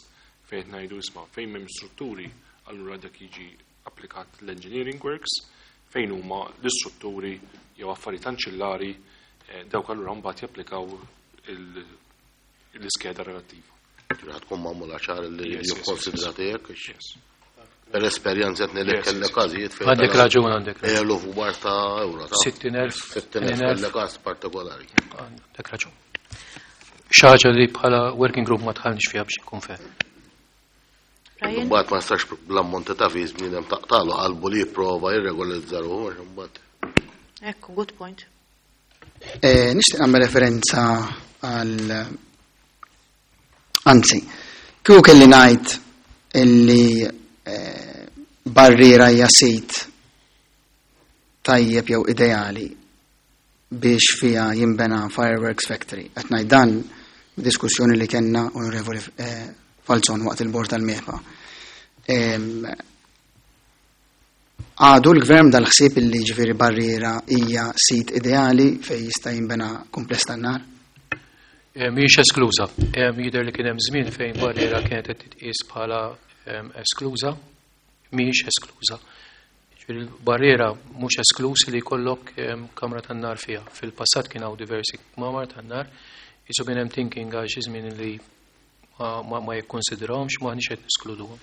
Fejn qed ngħidu isma' fejn m'hemm strutturi, allura dak jiġi applikat l-engineering works, fejn huma l-istrutturi jew affarijiet anċillari dawk allura mbagħad japplikaw l-iskeda relattiva. Ġifieri tkun magħmula ċar li jikkonsidrati hekk. Per esperjenza qed ngħidlek kellek każijiet fejn. Għandek raġun għandek. Eluf kbar ta' euro. 60,000. 60,000 kellek każ partikolari. Għandek raġun. Xi ħaġa li bħala working group ma tħallniex fiha biex inkun fair. Mbagħad ma nistax bl-ammonti ta' fees bniedem taqtalu qalbu li jipprova jirregolizza ruħu għax imbagħad. Ekku, good point. Nixtieq nagħmel referenza għal anzi, kieku kelli ngħid illi barriera hija sit tajjeb jew ideali biex fiha jinbena fireworks factory. Qed ngħid dan b'diskussjoni li kellna Onorevoli Falzon waqt il-bord tal-MEPA. Għadu l-gvern dal-ħsieb illi ġifieri barriera hija sit ideali fejn jista' jinbena kumpless tan-nar? Mhijiex eskluża. Jidher li kien hemm żmien fejn barriera kienet qed titqies bħala eskluża, mhijiex eskluża. Ġifieri l-barriera mhux eskluż li jkollok kamra tan-nar fiha. Fil-passat kien hawn diversi kmamar tan-nar, qisu kien hemm thinking għal xi żmien li ma jikkonsidrawhomx, m'aħniex qed neskluduhom.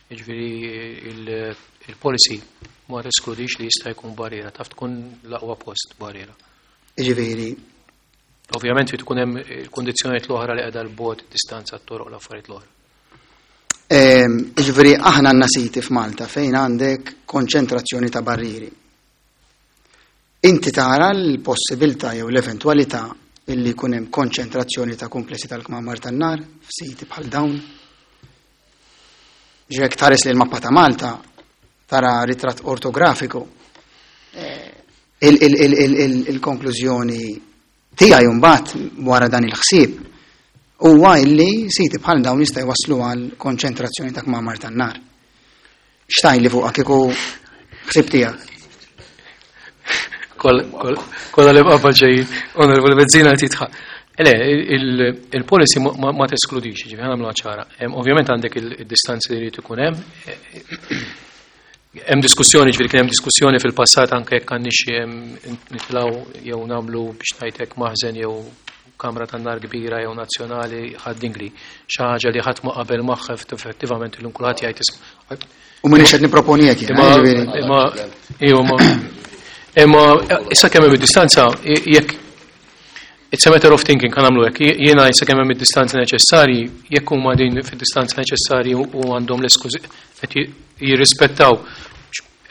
Jiġifieri il-policy ma teskludix li jista' jkun barriera, taf tkun l-aqwa post barriera. Jiġifieri. Ovvjament trid ikun hemm il-kundizzjonijiet l-oħra li qiegħda l-bogħod, id-distanza, t-toroq, l-affarijiet l-oħra. Jiġifieri aħna għandna siti f'Malta fejn għandek konċentrazzjoni ta' barrieri. Inti tara l-possibilità jew l-eventwalità illi jkun hemm konċentrazzjoni ta' komplessi tal-kmamar tan-nar f'siti bħal dawn? Ġrek tħares li l-mappa ta' Malta tara ritratt ortografiku. Il-konklużjoni tiegħi mbagħad wara dan il-ħsieb huwa illi siti bħal dawn jista' jwasslu għal konċentrazzjoni ta' kmamar tan-nar. X'tajli fuqha kieku ħsieb tiegħek? Kolla li bqabba ġejjin, Onorevoli Bezzina titħaq. Le, il-policy ma teskludix, ġifieri nagħmluha ċara. Ovvjament għandek il-distanzi li jrid ikun hemm. Hemm diskussjoni, ġifieri kien hemm diskussjoni fil-passat anke jekk għandniex nitilgħu jew nagħmlu biex ngħidlek maħżen jew kamra tan-nar kbira jew nazzjonali ħad-dingli. Xi ħaġa li ħadd ma qabel magħha effettivament illum kulħadd jgħid isma'. U m'iniex qed nipproponi hekk jiena, ġifieri. Imma imma imma issa kemm hemm id-distanza jekk It's a matter of thinking, kan għamlu hekk. Jiena issa kemm hemm id-distanza neċessarji, jekk huma din fid-distanza neċessarji u għandhom l-eskużi qed jirrispettaw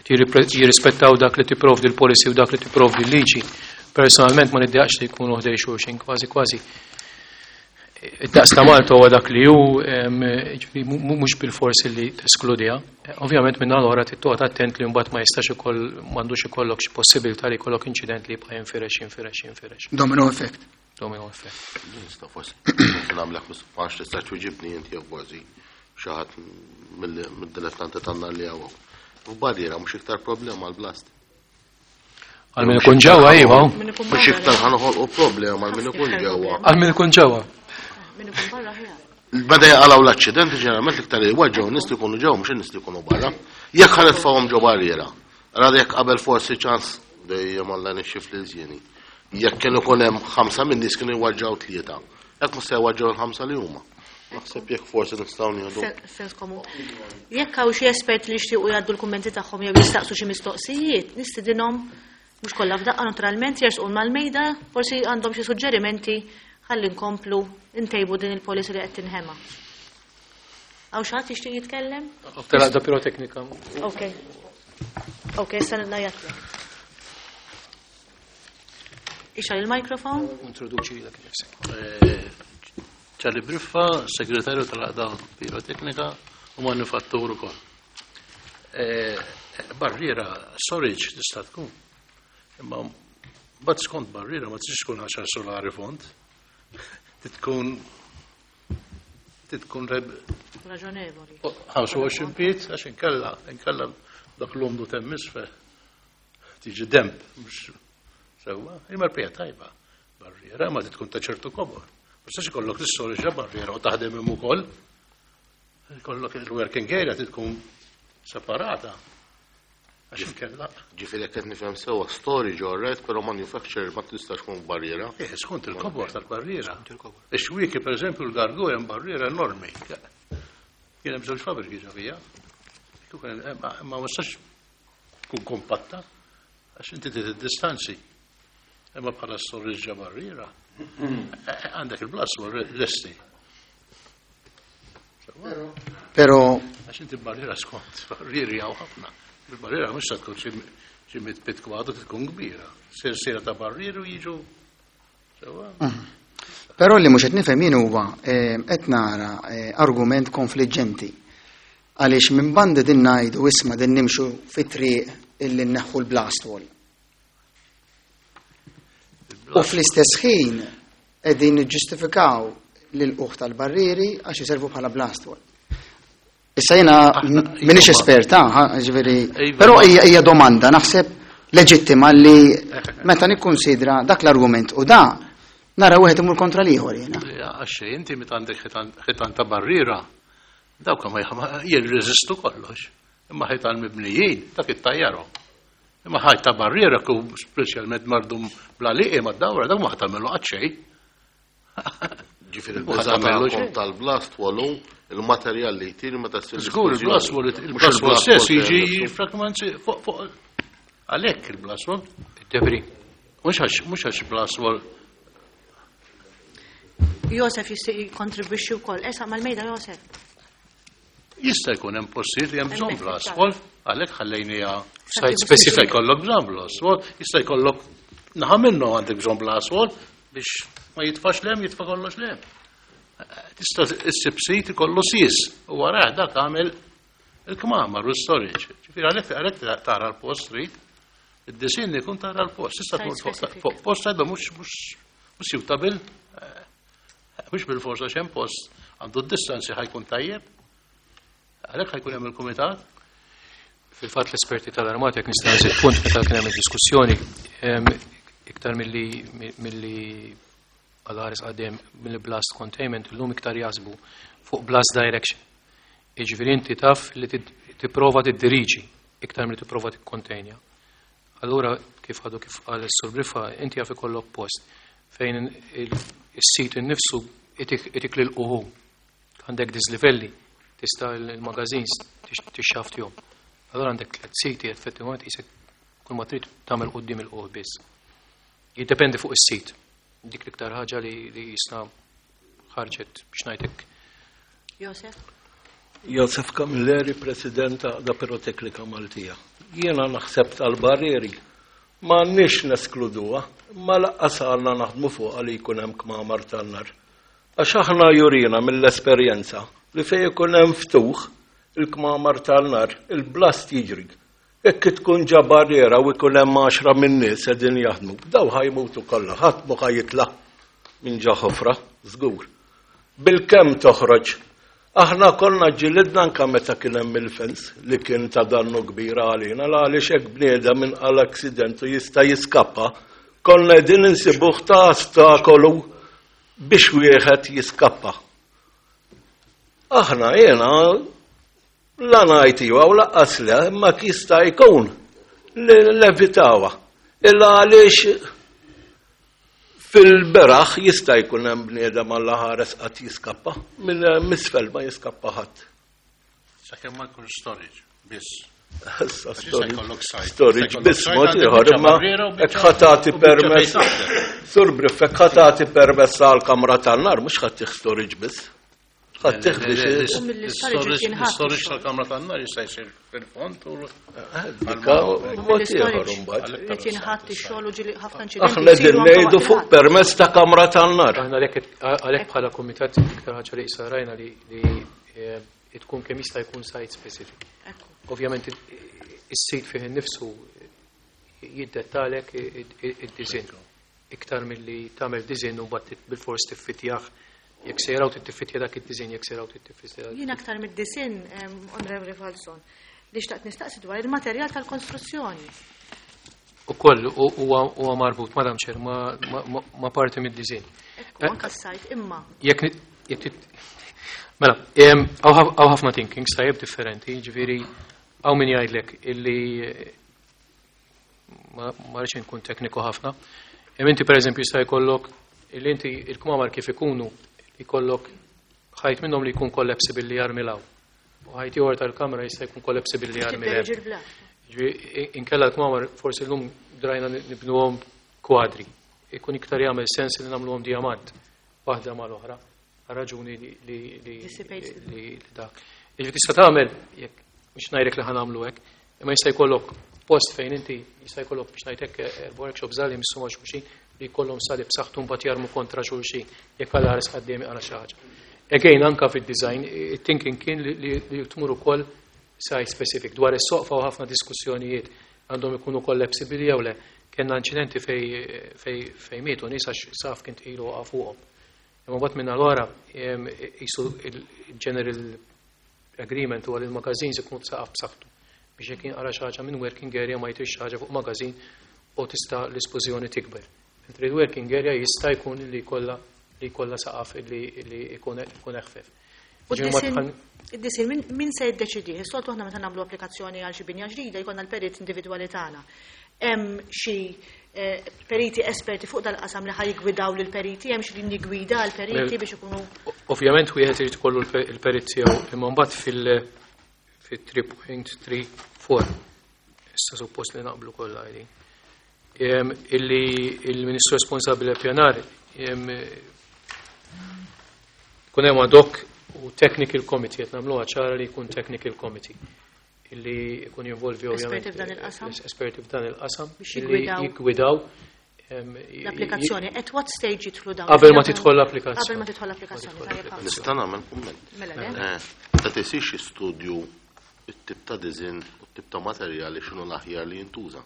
qed jirrispettaw dak li tipprovdi l-policy u dak li tipprovdi l-liġi. Personalment ma niddejaqx li jkunu ħdej xulxin, kważi kważi. Id-daqs ta' Malta huwa dak li hu mhux bil-forsi li teskludiha. Ovvjament minn l-oħra trid toqgħod attent li mbagħad ma jistax ikoll m'għandux ikollok xi possibilità li jkollok inċident li jibqa' jinfirex, jinfirex, jinfirex. Domino effect. Domino effect. Nista' forsi nagħmlek għax tista' twiġibni inti jew kważi xi ħadd mid-dilettanti tagħna li hawn. F'barriera mhux iktar problema għall-blast. Għal min ikun ġewwa iva. Mhux iktar ħanoħolqu problema għal min ikun ġewwa. Għal min ikun ġewwa. Min ikun barra ħjar. Bada jaqalgħu l-aċċidenti ġeneralment l-iktar li jweġġgħu nies li jkunu ġewwa mhux in-nies li jkunu barra. Jekk ħa nitfgħuhom ġo barriera. Rada jekk qabel forsi ċans dejjem Alla nixxif lil żieni. Jekk kien ikun hemm ħamsa minn nies kienu jweġġgħu tlieta. Hekk mhux se jweġġgħu l-ħamsa li huma. Naħseb jekk forsi nistgħu nieħdu. Sens komun. Jekk hawn xi esperti li jixtiequ jgħaddu l-kummenti tagħhom jew jistaqsu xi mistoqsijiet, nistidinhom mhux kollha f'daqqa naturalment jersqu mal-mejda, forsi għandhom xi suġġerimenti ħalli nkomplu ntejbu din il-policy li qed tinħema. Hawn xi ħadd jixtieq jitkellem? Telaqda piroteknika. Ok. Ok, issa ngħajjatlek. Ixgħal il-mikrofon. Introduċi lilek innifsek. Charlie Briffa, segretarju tal-Għaqda Piroteknika u manifattur ukoll. Barriera storage tista' tkun. Imma mbagħad skont barriera ma tistax tkun 10 solari fond. Tkun tkun raġonevoli. 25 piet għax inkella inkella dak l-umdu temm isfel. Tiġi demp, mhux sewwa, imma l-pija tajba. Barriera ma tkun ta' ċertu kobor. Ma tistax ikollok l-istorja barriera u taħdem hemm ukoll. Ikollok il-working area tkun separata. Għax inkella. Ġifieri jekk qed nifhem sewwa storage all right, però manufacturer ma tistax tkun barriera. Eh, skont il-kobor tal-barriera. Ix-xwieki pereżempju l-gargu hemm barriera enormi. Kien hemm żewġ fabbriki ġo fija. Ma tistax tkun kompatta għax inti trid id-distanzi. Imma bħala storage barriera, għandek il-blast lesti. Pero Għax inti barriera skont, barrieri hawn ħafna. Il-barriera mhux se tkun xi mit bit kwadru tkun kbira. Silsiela ta' barrieri u jiġu sewwa. Però li mhux qed nifhem jien huwa qed nara argument konfliġġenti. Għaliex minn banda din ngħidu isma' din nimxu fit-triq illi nneħħu l-blast wall. U fl-istess ħin qegħdin niġġustifikaw l-uħ tal-barrieri għax iservu bħala blast wall. Issa jiena m'iniex esperta, ġifieri, però hija domanda naħseb leġittima li meta nikkunsidra dak l-argument u da nara wieħed imur kontra l-ieħor jiena. Għax inti meta għandek ħitan ta' barriera, dawk ma jirreżistu kollox. Imma ħitan mibnijin, dak ittajjarhom. Imma ħajt ta' barriera ku speċjalment mardum bla liqi ma' dawra, dak ma ħatamelu qatt xejn. Ġifieri il-biża' tagħkom tal-blast wall il-materjal li jtir meta ssir. Żgur il-blast wall il-blast wall stess jiġi fragmenti fuq għalhekk il-blast wall. Debri. Mhux għax blast wall. Josef jistgħu jikkontribwixxi wkoll. Esa mal-mejda Josef. Jista' jkun hemm postijiet li hemm bżonn blast wall, għalhekk ħallejniha site specific. Jista' jkollok bżonn blast wall, jista' jkollok naħa minnu għandek bżonn blast wall biex ma jitfax lem, jitfa' kollox lem. Tista' issib sit ikollu sis u warah dak għamel il-kmamar u storage. Ġifieri għalhekk tara l-post trid, id-disinn ikun tara l-post. Tista' tmur fuq post għadha mhux suitable, mhux bil-forsa x'hemm post għandu d-distanzi ħajkun tajjeb. Għalhekk ħajkun hemm il-kumitat. Fil-fatt l-esperti tal-armata, jekk nista' nżid punt meta kien hemm id-diskussjoni, iktar milli għal-ħares għadem mill-blast containment, illum iktar jaħsbu fuq blast direction. Jiġifieri inti taf li tipprova tiddiriġi iktar milli tipprova tikkontenja. Allura kif għadu kif qal is-Sur Briffa, inti jaf ikollok post fejn is-sit innifsu itik lil uħu. Għandek dislivelli, tista' il-magazines tixxaftihom. Allura għandek tliet siti effettivament qisek kull ma trid tagħmel quddiem il-qoħ biss. Jiddependi fuq is-sit. Dik l-iktar ħaġa li jisna ħarġet biex ngħidlek. Josef? Josef Camilleri, President ta' Piroteknika Maltija. Jiena naħseb tal-barrieri ma nix neskluduha, ma laqqas għandna naħdmu fuqha li jkun hemm kmamar tan-nar. Għax aħna jurina mill-esperjenza li fejn ikun hemm ftuħ il-kmamar tan-nar, il-blast jiġri. Jekk tkun ġa barriera u jkun hemm 10 min-nies qegħdin jaħdmu, daw ħajmutu kollha, ħadd mhu ħajitla' minn ġa ħofra, żgur. Bil-kemm toħroġ. Aħna konna ġilidna anke meta kien hemm il-fens li kien ta' dannu kbir għalina, la għaliex hekk bniedem inqal accident u jista' jiskappa, konna qegħdin insibuh ta' ostakolu biex wieħed jiskappa. Aħna jiena la ngħid iva u laqqas le, imma jista' jkun li levitawha. Illa għaliex fil-beraħ jista' jkun hemm bniedem Alla ħares qatt jiskappa, minn misfel ma jiskappa ħadd. Sakemm ma jkunx storage biss. Issa Għax jista' jkollok site. Storage Jista' jkollok biss site, mod għandek ieħor, biċċa imma barriera u hekk biċċa- ħa tagħti u biċċa permess. fejn taħdem. Sur Briff, hekk ħa tagħti permess għal kamra tan-nar, mhux ħadd tieħ storage biss. Ħadd tieħ biex U mill-storage jinħatt Storage ix-xogħol. tal-kamra tan-nar jista' jsir fil-fond u Dika mod ieħor imbagħad. Irid jinħatt ix-xogħol u ġieli ħafna inċidenti. Aħna qegħdin jsiru anke ngħidu waqt fuq il-ħadd. permess ta' kamra tan-nar. Aħna għalhekk bħala kumitat iktar ħaġa li issa rajna li tkun kemm jista' jkun site specific. Ekku. Ovvjament is-sit fih innifsu jiddettalek id-design. Iktar milli tagħmel design u mbagħad bil-fors tiffitjah jekk sejraw tittiffitja dak id-design, jekk sejraw tittiffitja. Jien aktar mid-design, Onorevoli Falzon, li xtaqt nistaqsi dwar il-materjal tal-konstruzzjoni. U koll huwa marbut, Madam Chair, ma parti mid-design. Ekku, anka s-sajt imma. Jekk jekk Mela, hawn ħafna thinking tajjeb differenti, ġifieri hawn min jgħidlek illi ma rridx inkun tekniku ħafna. Hemm inti pereżempju jista' jkollok illi inti il-kmamar kif ikunu jkollok ħajt minnhom li jkun collapsible li jarmi law. U ħajt ieħor tal-kamra jista' jkun collapsible li jarmi Tidderġi hemm. l-blat. Ġifieri inkella l-kmamar forsi llum drajna nibnuhom kwadri. Ikun iktar jagħmel sens li nagħmluhom diamant waħda mal-oħra. Raġuni Dissipates li dak. Jiġifieri tista' tagħmel jekk mhux ngħidlek li ħa nagħmlu hekk, imma jista' jkollok post fejn inti jista' jkollok biex ngħidlek workshop żgħar li jmissu ma' xulxin li jkollhom sali b'saħħtu mbagħad jarmu kontra xulxin jekk għal ħares quddiem għal xi ħaġa. Again, anka fid-design, it-thinking kien li tmur ukoll site specific dwar is-soqfa u ħafna diskussjonijiet għandhom ikunu collapsible jew le. Kellna inċidenti fej mietu nies għax saf kien tqilu waqa' fuqhom. Imma mbagħad minn allura jisu il-general agreement huwa li l-magazines ikunu b'saqaf b'saħħtu biex jekk jinqara xi ħaġa minn working area ma jtrix xi ħaġa fuq magazin u tista' l-esplosjoni tikber. Mentri l-working area jista' jkun li jkollha saqaf li jkun eħfef. U Ġifieri ma tħan- id-disin min se jiddeċidi? Is-soltu aħna meta nagħmlu applikazzjoni għal xi binja ġdida jkollna l-perit individwali tagħna. Hemm xi periti esperti fuq dal-qasam li ħaj jgwidaw lil periti, hemm xi linji gwida għal periti biex ikunu Ovvjament wieħed irid ikollu il-perit tiegħu imma mbagħad fil 3.34 issa suppost li naqblu kollha qegħdin. Illi il-Ministru responsabbli għall-pjanar kun hemm ad hoc u technical committee qed nagħmluha ċara li jkun technical committee illi jkun jinvolvi ovvjament Esperti f'dan il-qasam? esperti f'dan il-qasam Biex illi jiggwidaw. jiggwidaw l-applikazzjoni. At what stage jidħlu dawn? Qabel ma tidħol l-applikazzjoni. Qabel ma tidħol l-applikazzjoni, tajjeb ħafna. Nista' nagħmel kumment. Mela le? Ta' tisix studju it-tip ta' design u t-tip ta' materjali x'inhu l-aħjar li jintuża.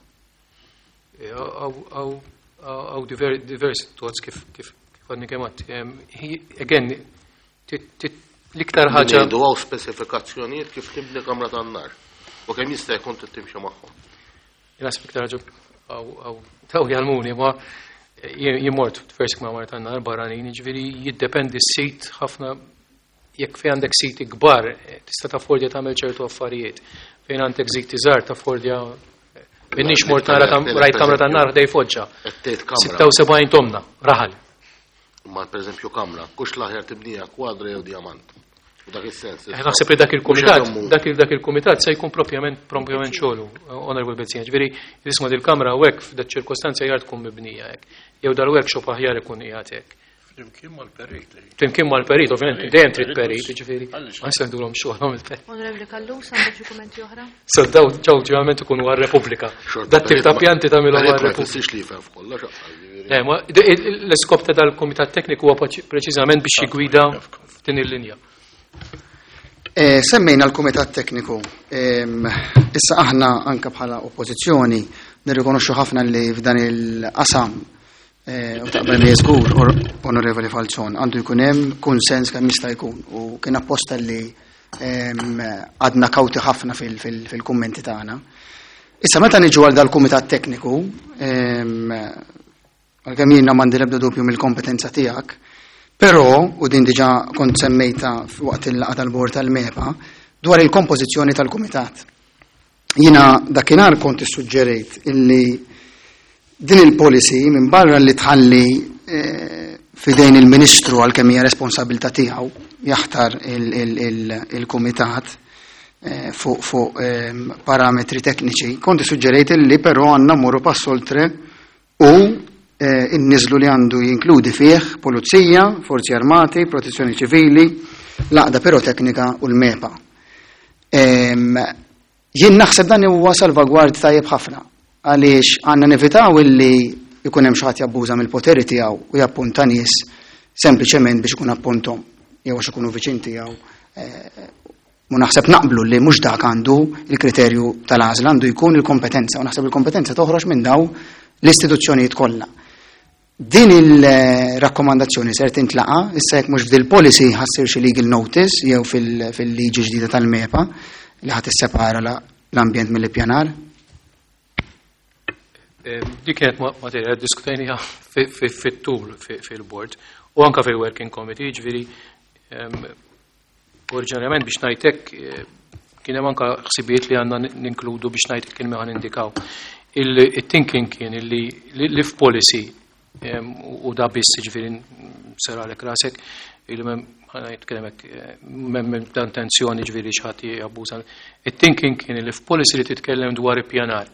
Għaw diversi thoughts kif għadni kemm għedt. Again, l-iktar ħaġa. Ngħidu hawn spesifikazzjonijiet kif tibni kamra tan-nar. U kemm jista' jkun trid timxi magħhom. Naħseb iktar ħaġa daw jgħallmuni ma jien mort diversi kmamar tan-nar barranin, jiġifieri jiddependi s-sit ħafna jekk fejn għandek siti kbar tista' taffordja tagħmel ċertu affarijiet. Fejn għandek siti żgħar taffordja Minnix mort nara rajt kamra tan-nar ħdej Foġġa. 76 tomna, raħal. Ma pereżempju kamra, kux l-aħjar tibnija kwadra jew diamant. U dak is-sens. Eh, naħseb li dak il-kumitat, dak dak il-kumitat se jkun propjament propjament xogħlu, Honorable Bezzina. Ġifieri, isma' dil-kamra u hekk f'dak ċirkostanza aħjar tkun mibnija hekk. Jew dal-workshop aħjar ikun qiegħed hekk. Flimkien mal-perit. Flimkien mal-perit, ovvjament, dejjem trid perit, ġifieri. Ma nistgħudulhom xogħolhom il-perit. Onorevoli Callus, għandek xi kummenti oħra? So daw ġew ġeneralment ikunu għar-Repubblika. Dat tip ta' pjanti tagħmilhom għar-Repubblika. Ma jfissirx li jifhem f'kollox. Le, ma l-iskop ta' dal-kumitat tekniku huwa preċiżament biex jigwida f'din il-linja. Eh, semmejna l-Kumitat Tekniku. Issa aħna anka bħala oppożizzjoni nirrikonoxxu ħafna li f'dan il-qasam eh, u taqbel li żgur Onorevoli Falzon għandu jkun hemm kunsens kemm jista' jkun u kien apposta li għadna kawti ħafna fil-kummenti tagħna. Issa meta niġu għal dal-Kumitat Tekniku, għalkemm jiena m'għandi l-ebda dubju mill-kompetenza tiegħek, però, u din diġà kont semmejta waqt il-laqgħa tal-bord tal-MEPA, dwar il-kompożizzjoni tal-kumitat. Jiena dakinhar kont issuġġerejt illi din il-policy minn barra li tħalli eh, fidejn il-Ministru għalkemm hija responsabilità tiegħu jaħtar il-kumitat eh, fuq eh, parametri tekniċi, kont issuġġerejt illi però għandna mmorru pass oltre u inniżlu li għandu jinkludi fih Pulizija, Forzi Armati, Protezzjoni Ċivili, l-Għaqda Piroteknika u l-MEPA. Jien naħseb dan huwa salvagward tajjeb ħafna għaliex għandna nevitaw illi jkun hemm xi ħadd jabbuża mill-poteri tiegħu u jappunta nies sempliċement biex ikun appuntom jew għax ikunu viċin tiegħu eh, U naħseb naqblu li mhux dak għandu il-kriterju tal-għażla għandu jkun il-kompetenza u naħseb il-kompetenza toħroġ minn daw l-istituzzjonijiet kollha. Din il-rakkomandazzjoni ser tintlaqa, issa jekk mhux f'dil policy ħassir xi legal notice jew fil-liġi ġdida tal-MEPA li ħadd issepara l-ambjent mill-ippjanar. Eh, dik kienet materja diskutejniha fit-tul fil-board u anka fil-working committee, ġifieri ehm, Oriġinarjament biex ngħid hekk eh, kien hemm anke ħsibijiet li għandna ninkludu biex ngħid kien ħan indikaw. Il-thinking kien li li f'policy u da biss ġifieri seralek rasek il mem ħana hekk eh, mem dan tensjoni ġifieri xi ħadd jabbuża. Il-thinking kien li f'policy li titkellem dwar ippjanar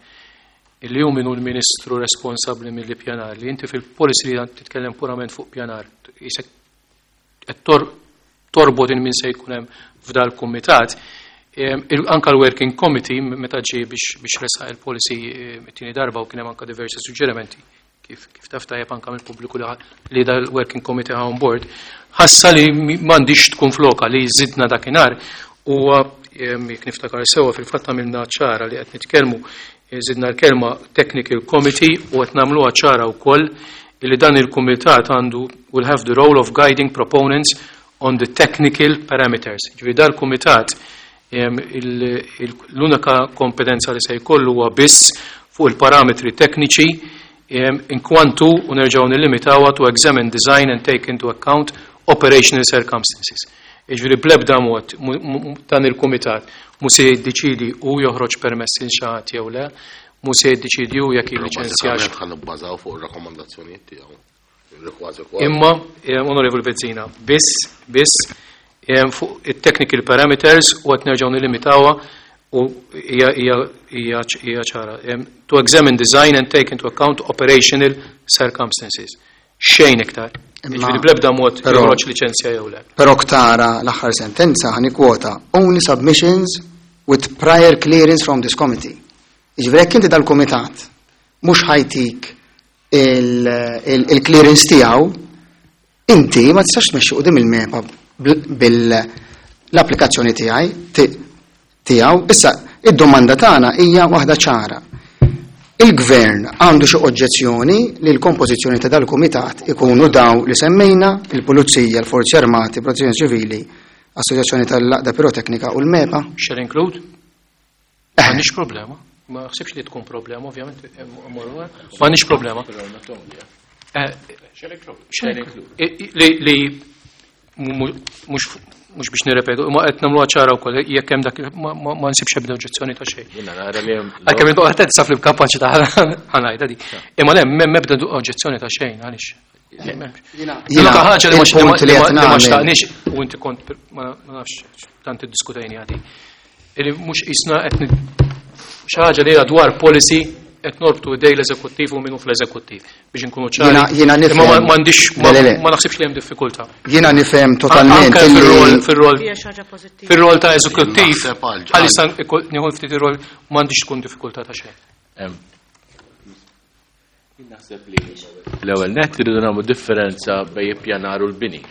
illi hu min hu l-ministru responsabbli mill-ippjanar li inti fil-policy li titkellem purament fuq pjanar jisek qed torbot il min se jkun hemm f'dal-kumitat. Anka l-Working Committee meta ġie biex resaq il-policy it-tieni darba u kien hemm anka diversi suġġerimenti kif kif taf tajjeb anka mill-pubbliku li dal-Working Committee on board, ħassa li m'għandix tkun floka li żidna dakinhar huwa jekk niftakar sewwa fil-fatt għamilna ċara li qed nitkellmu żidna l-kelma Technical Committee u qed nagħmluha ċara wkoll li dan il-kumitat għandu will have the role of guiding proponents on the technical parameters. Ġifieri dal-kumitat l-unika kompetenza li se jkollu huwa biss fuq il-parametri tekniċi inkwantu u nerġgħu nillimitawha to examine design and take into account operational circumstances. Jiġifieri bl-ebda mod dan il-kumitat mhu se jiddeċiedi hu joħroġ permess lil xi ħadd jew le, mhu se jiddeċiedi hu jekk jilliċenzjax. Bażikament ħa nibbażaw fuq ir-rakkomandazzjonijiet tiegħu. Li kważi kważi. Imma, eh, Onorevoli Bezzina, biss, biss, eh, fuq it-technical parameters u qed nerġgħu nilimitawha u hija hija hija hija ċara. Eh, To examine design and take into account operational circumstances. Xejn iktar. Jiġifieri bl-ebda mod joħroġ liċenzja jew le. Però ktara l-aħħar sentenza ħa nikkwota only submissions with prior clearance from this committee. Jiġifieri jekk inti dal-kumitat mhux ħajtik il-clearance tiegħu, inti ma tistax tmexxi quddiem il-MEPA bil-applikazzjoni tiegħi tiegħu. Issa, id-domanda tagħna hija waħda ċara. Il-Gvern għandu xi oġġezzjoni li l-kompożizzjoni ta' dal-kumitat ikunu daw li semmejna, il-Pulizija, l-Forzi Armati, Protezzjoni Ċivili, Assoċjazzjoni tal-Għaqda Piroteknika u l-MEPA? Shall include? M'għandniex problema. Ma naħsibx li tkun problema, ovvjament, m'għandniex problema. Li mhux biex nirrepetu, ma qed nagħmluha ċara wkoll jekk hemm dak ma nsibx ebda oġġezzjoni ta' xejn. Għalkemm intu qed saf li b'kapaċi ta' ħanajda di. Imma le m'hemm ebda oġġezzjoni ta' xejn għaliex. Jiena ħaġa li ma xtaqniex u inti kont ma nafx tant iddiskutejni għadi. Illi mhux qisna qed xi ħaġa li hija dwar policy qed norbtu idej l-eżekuttiv u minnu fl-eżekuttiv biex inkunu ċari. Jiena nifhem. Imma m'għandix ma naħsibx li hemm diffikultà. Jiena nifhem totalment. Fir-rol fir-rol ta' eżekuttiv għalissa nieħu ftit ir-rol m'għandix tkun diffikultà ta' xejn. Naħseb li l-ewwel nett irridu nagħmlu differenza bejn ippjanar u l-bini.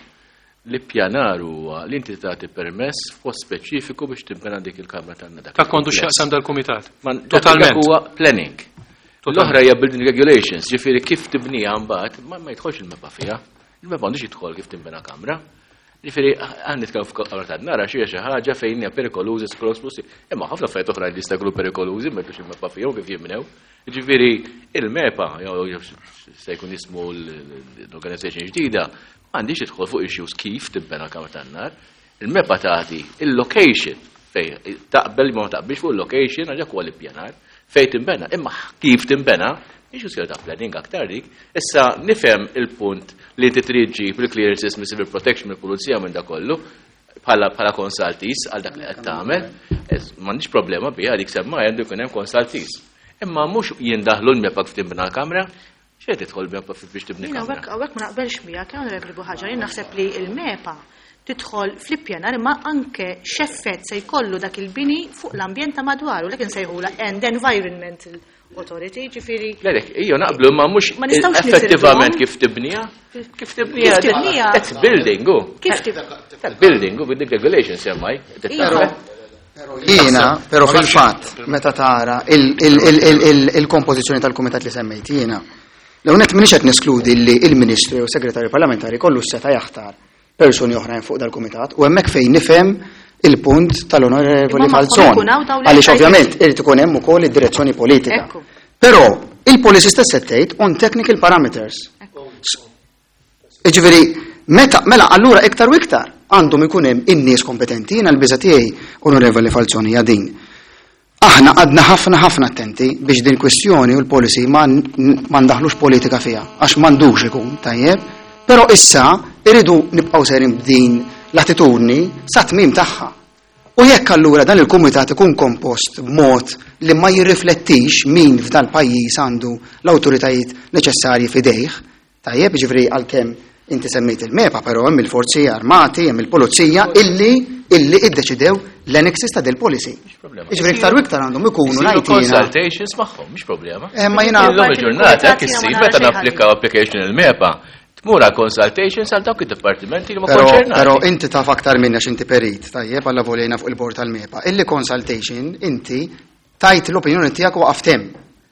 L-ippjanar huwa li inti tagħti permess f'post speċifiku biex tinbena dik il-kamra tan-nada. Dak m'għandux x'jaqsam dal-kumitat. Totalment. Huwa planning. L-oħra hija building regulations, ġifieri kif tibniha mbagħad ma jidħolx il-MEPA fiha. Il-MEPA m'għandux jidħol kif tinbena kamra. Ġifieri aħna nitkellmu fuq kamra tan-nar għax hija xi ħaġa fejn hija perikolużi splusi. Imma ħafna affarijiet oħra li jista' jkunu perikolużi ma jkunx il-MEPA fihom kif jinbnew. Ġifieri il-MEPA, jew se jkun jismu l-organization ġdida, m'għandix tidħol fuq issues kif tinbena kamra tan-nar. Il-MEPA tagħti il-location fej taqbel ma taqbilx fuq il-location għax dak huwa l-ippjanar fejn tinbena, imma kif tinbena issues ta' planning aktar dik. Issa nifhem il-punt li inti trid ġib il-clearances minn civil protection mill-pulizija minn dak kollu bħala bħala consultees għal dak li qed tagħmel, m'għandix problema biha dik semma għandu jkun hemm consultees. Imma mhux jindaħlu l-MEPA kif tinbena l-kamra, xejn tidħol MEPA biex tibni kamra. Hawnhekk ma naqbelx miegħek, Onorevoli Buhaġar, jien naħseb li l-MEPA tidħol fl-ippjanar imma anke x'effett se jkollu dak il-bini fuq l-ambjent ta' madwaru, l insejħula and Environmental Authority, ġifieri. Lelek, ejja naqblu imma mhux effettivament kif tibniha. Kif tibniha? That's building, u. Kif tibniha? Building, u building regulations semmaj. Jiena, però fil-fatt, meta tara il-kompożizzjoni tal-kumitat li semmejt jiena, l-ewwel nett m'iniex qed neskludi li il-Ministru jew Segretarju Parlamentari kollu s-seta jaħtar persuni oħrajn fuq dal-kumitat u hemmhekk fejn nifhem il-punt tal-Onorevoli Falzon. Għaliex ovvjament irid ikun hemm ukoll id-direzzjoni politika. Però il-policy stess qed tgħid on technical parameters. Jiġifieri meta mela allura iktar u iktar għandhom ikun hemm in-nies kompetenti, jiena l-biża' tiegħi Onorevoli Falzon hija din. Aħna għadna ħafna ħafna attenti biex din kwistjoni u l-policy ma ndaħlux politika fiha, għax m'għandux ikun tajjeb, però issa irridu nibqgħu sejrin b'din l-attitudni sa tmiem tagħha. U jekk allura dan il-kumitat ikun kompost b'mod li ma jirriflettix min f'dal pajjiż għandu l-awtoritajiet neċessarji f'idejh, Tajjeb, jiġifieri għalkemm inti semmejt il-MEPA, però hemm il-forzi armati, hemm il-pulizija illi illi iddeċidew l-annexes ta' del policy. Jiġifieri iktar u iktar għandhom ikunu ngħid Consultations magħhom, mhix problema. Eh, ma jiena Illum il-ġurnata hekk issir meta napplikaw application il-MEPA, tmur għal consultations għal dawk id-dipartimenti li ma konċernati. Però inti taf aktar minna x'inti perit, tajjeb, alla volejna fuq il-bord tal-MEPA. Illi consultation inti tajt l-opinjoni tiegħek u waqaft hemm.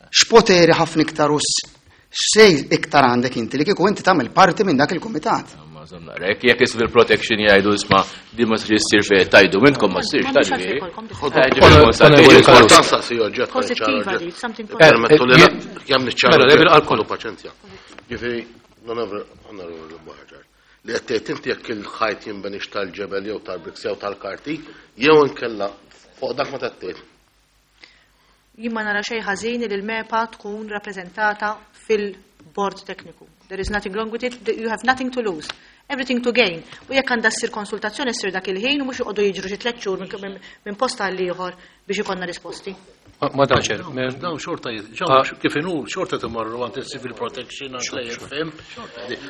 X'poteri ħafna iktar u x'sej iktar għandek inti li kieku inti tagħmel parti minn dak il-kumitat. Jekk jekk civil protection jgħidu isma' di ma sirx issir fejn tajdu minnkom ma ssirx tajdu. Ġifieri, onorevoli Buhaġar, li qed tgħid inti jekk il-ħajt jinbenix tal-ġebel jew tal-bricks jew tal-karti, jew inkella fuq dak ma tgħid. Jien ma nara xejn ħażin li l-MEPA tkun rappreżentata fil-bord tekniku. There is nothing wrong with it, you have nothing to lose, everything to gain. U jekk għandha ssir konsultazzjoni ssir dak il-ħin u mhux joqogħdu jiġru xi tliet xhur minn post għal ieħor biex ikollna risposti. Ma daċer. Dawn xorta, kif inhu, xorta timorru għand il-civil protection, għand l-AFM.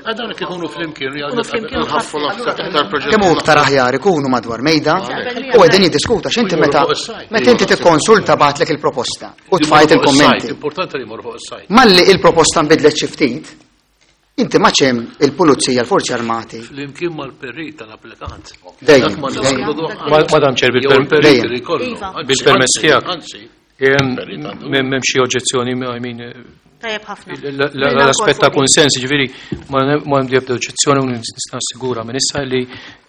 Għad dawn ikunu flimkien. Kemm hu iktar aħjar ikunu madwar mejda u qegħdin jiddiskuta x'inti meta meta inti tikkonsulta bagħtlek il-proposta u tfajt il-kummenti. Importanti li jmorru fuq is-sajt. Malli il-proposta nbidlet xi ftit, inti ma ċem il-pulizija, l-forzi armati. Flimkien mal-perit tal-applikant. Dejjem. Madam Chair, bil-permess tiegħek. M'hemm xi oġġezzjoni, I mean, Tajjeb ħafna. L-aspett ta' konsens, ġifieri ma għandi ebda oġġezzjoni u nista' nassigura minn issa li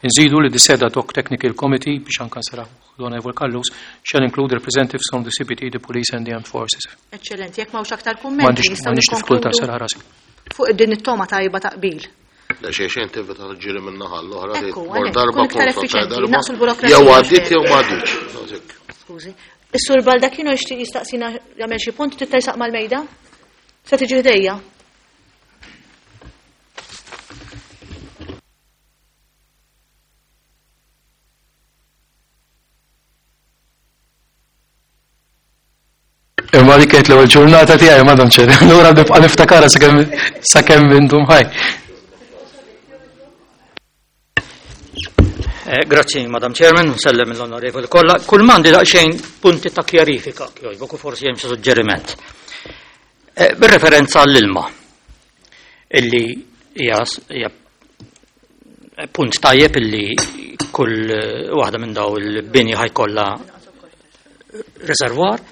nżidu li the said ad hoc technical committee biex anke nsaraħ l-Onorevole Callus shall include representatives from the CPT, the police and the armed forces. Eċċellenti, jekk m'hawnx aktar kummenti nistgħu M'għandix diffikultà nsaraħ rasi. Fuq din it-toma tajba ta' qbil. Le xejn xejn tevita ġiri minn naħa l-oħra Ekku, mor għalhekk, darba tkun iktar konsulta effiċjenti, darba. naqsu l-burokrazija Jew xejn. għaddiet jew ma għaddietx. Skużi. Is-Sur Baldacchino jixtieq jistaqsina jagħmel xi punt trid tersaq mal-mejda? Se tiġi ħdejja. Imma dik kienet l-ewwel ġurnata tiegħi Madam Chair. Allura nibqa' niftakarha sakemm sakemm indum ħaj. Eh, grazzi, Madam Chairman, nsellem l-onorevoli kollha. Kull m'għandi daqsxejn punti ta' kjarifika, jogħġbok u forsi hemm xi suġġeriment. Eh, bir-referenza għall-ilma, illi hija hija punt tajjeb illi kull eh, waħda minn daw il-bini ħajkollha reservoir.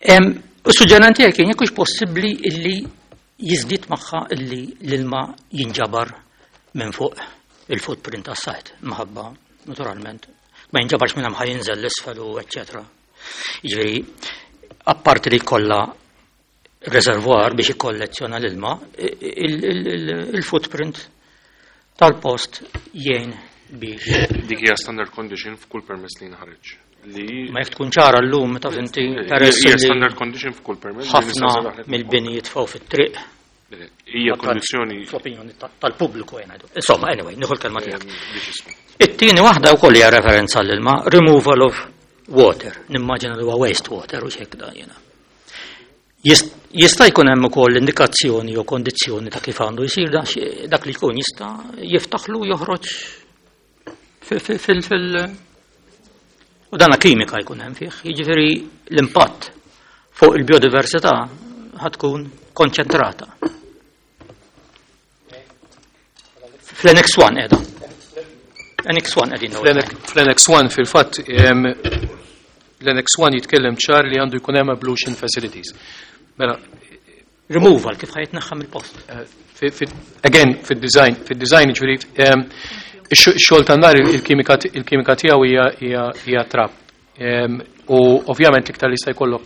U suġġeriment tiegħi kien jekk hux possibbli illi jiżdied magħha illi l-ilma jinġabar minn fuq il-footprint tas-sajt, minħabba naturalment ma jinġabarx minn hemm ħa jinżel l-isfel u eċċetera. Jiġifieri apparti li jkollha reservoir biex ikkollezzjona l-ilma, il-footprint tal-post jgħin biex. Dik hija standard condition f'kull permess li jinħareġ. Li Ma jekk tkun ċara llum taf inti peress hija li standard condition f'kull permess li ħafna nista' nserraħlek mill-bini jitfgħu fit-triq. Hija kondizzjoni fl-opinjoni tal-pubbliku jien ngħidu. Insomma, anyway, nieħu l-kelma tiegħek. It-tieni waħda wkoll hija referenza għall-ilma, removal of water. Nimmaġina li huwa waste water u x'hekk dan jiena. Jista' jkun hemm ukoll indikazzjoni jew kondizzjoni ta' kif għandu jsir dak li jkun jista' jiftaħlu joħroġ fil u dana kimika jkun hemm fih, jiġifieri l-impatt fuq il-biodiversità ħatkun konċentrata. Fl-Annex 1 qiegħda. Annex 1 qegħdin Fl-Annex 1 fil-fatt l-Annex 1 jitkellem ċar li għandu jkun hemm ablution facilities. Mela, removal kif ħajtneħħa mill-post. Again, fid-design, fid-design ġifieri ix-xogħol tan-nar il-kimika il-kimika tiegħu hija hija hija trab. U ovvjament l-iktar li jista' jkollok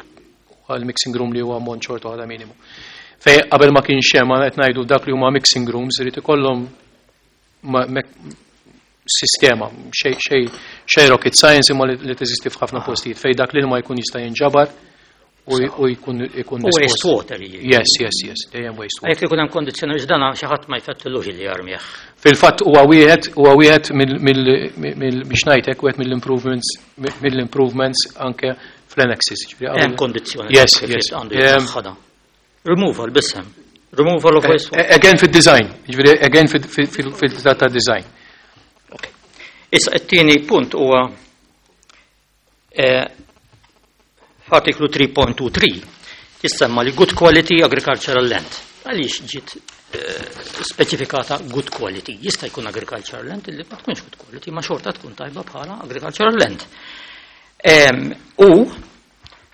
għal mixing room li huwa ammont xorta waħda minimu. Fej qabel ma kienx hemm qed ngħidu dak li huma mixing rooms irid ikollhom sistema, xej xej xej rocket science imma li teżisti f'ħafna postijiet fej dak l-ilma jkun jista' jinġabar u jkun ikun U waste dispost. water jiġifieri. Yes, yes, yes, dejjem waste water. Jekk ikun hemm kondizzjoni biex dan xi ħadd ma jfettillux li jarmih. Fil-fatt huwa wieħed huwa wieħed mill mill biex ngħidlek wieħed mill-improvements mill-improvements anke fl-annexes. Ġifieri Hemm kondizzjoni Yes, kif yes. għandu jitnaħħadha. Removal biss hemm. Removal of waste water. Again fid-design, ġifieri again fil-ta' design. Issa it-tieni punt huwa f'artiklu 3.23 jissemma li good quality agricultural land. Għaliex ġiet speċifikata good quality? Jista' jkun agricultural land illi ma tkunx good quality, ma xorta tkun tajba bħala agricultural land. U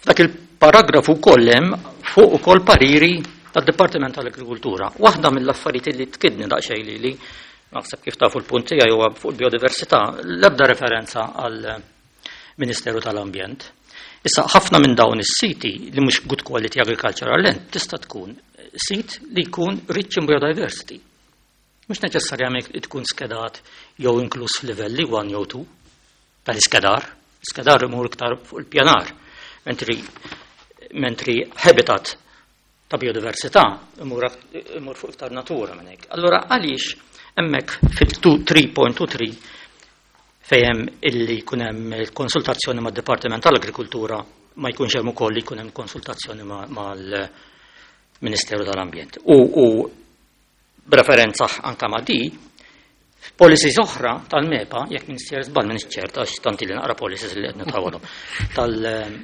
f'dak il-paragrafu wkoll hemm fuq ukoll pariri tad-Dipartiment tal-Agrikultura. Waħda mill-affarijiet li tkidni daqsxejn lili, naħseb kif tafu l-punt tiegħi huwa fuq il-biodiversità, l-ebda referenza għal Ministeru tal-Ambjent. Issa ħafna minn dawn is-siti li mhux good quality agricultural land tista' tkun sit li jkun rich in biodiversity. Mhux neċessarjament tkun skedat jew inkluż f'livelli 1 jew 2 tal-iskedar. Iskedar imur iktar fuq il-pjanar, mentri habitat ta' biodiversità imur fuq iktar natura minn hekk. Allura għaliex hemmhekk fil-3.23 fejn illi jkun hemm konsultazzjoni mad-Dipartiment tal-Agrikultura ma jkunx hemm ukoll li jkun hemm konsultazzjoni mal-Ministeru tal-Ambjent. U b'referenza anka ma' di, policies oħra tal-MEPA, jekk minister żball minn ċert għax tanti li naqra policies li qed nitawalhom, tal-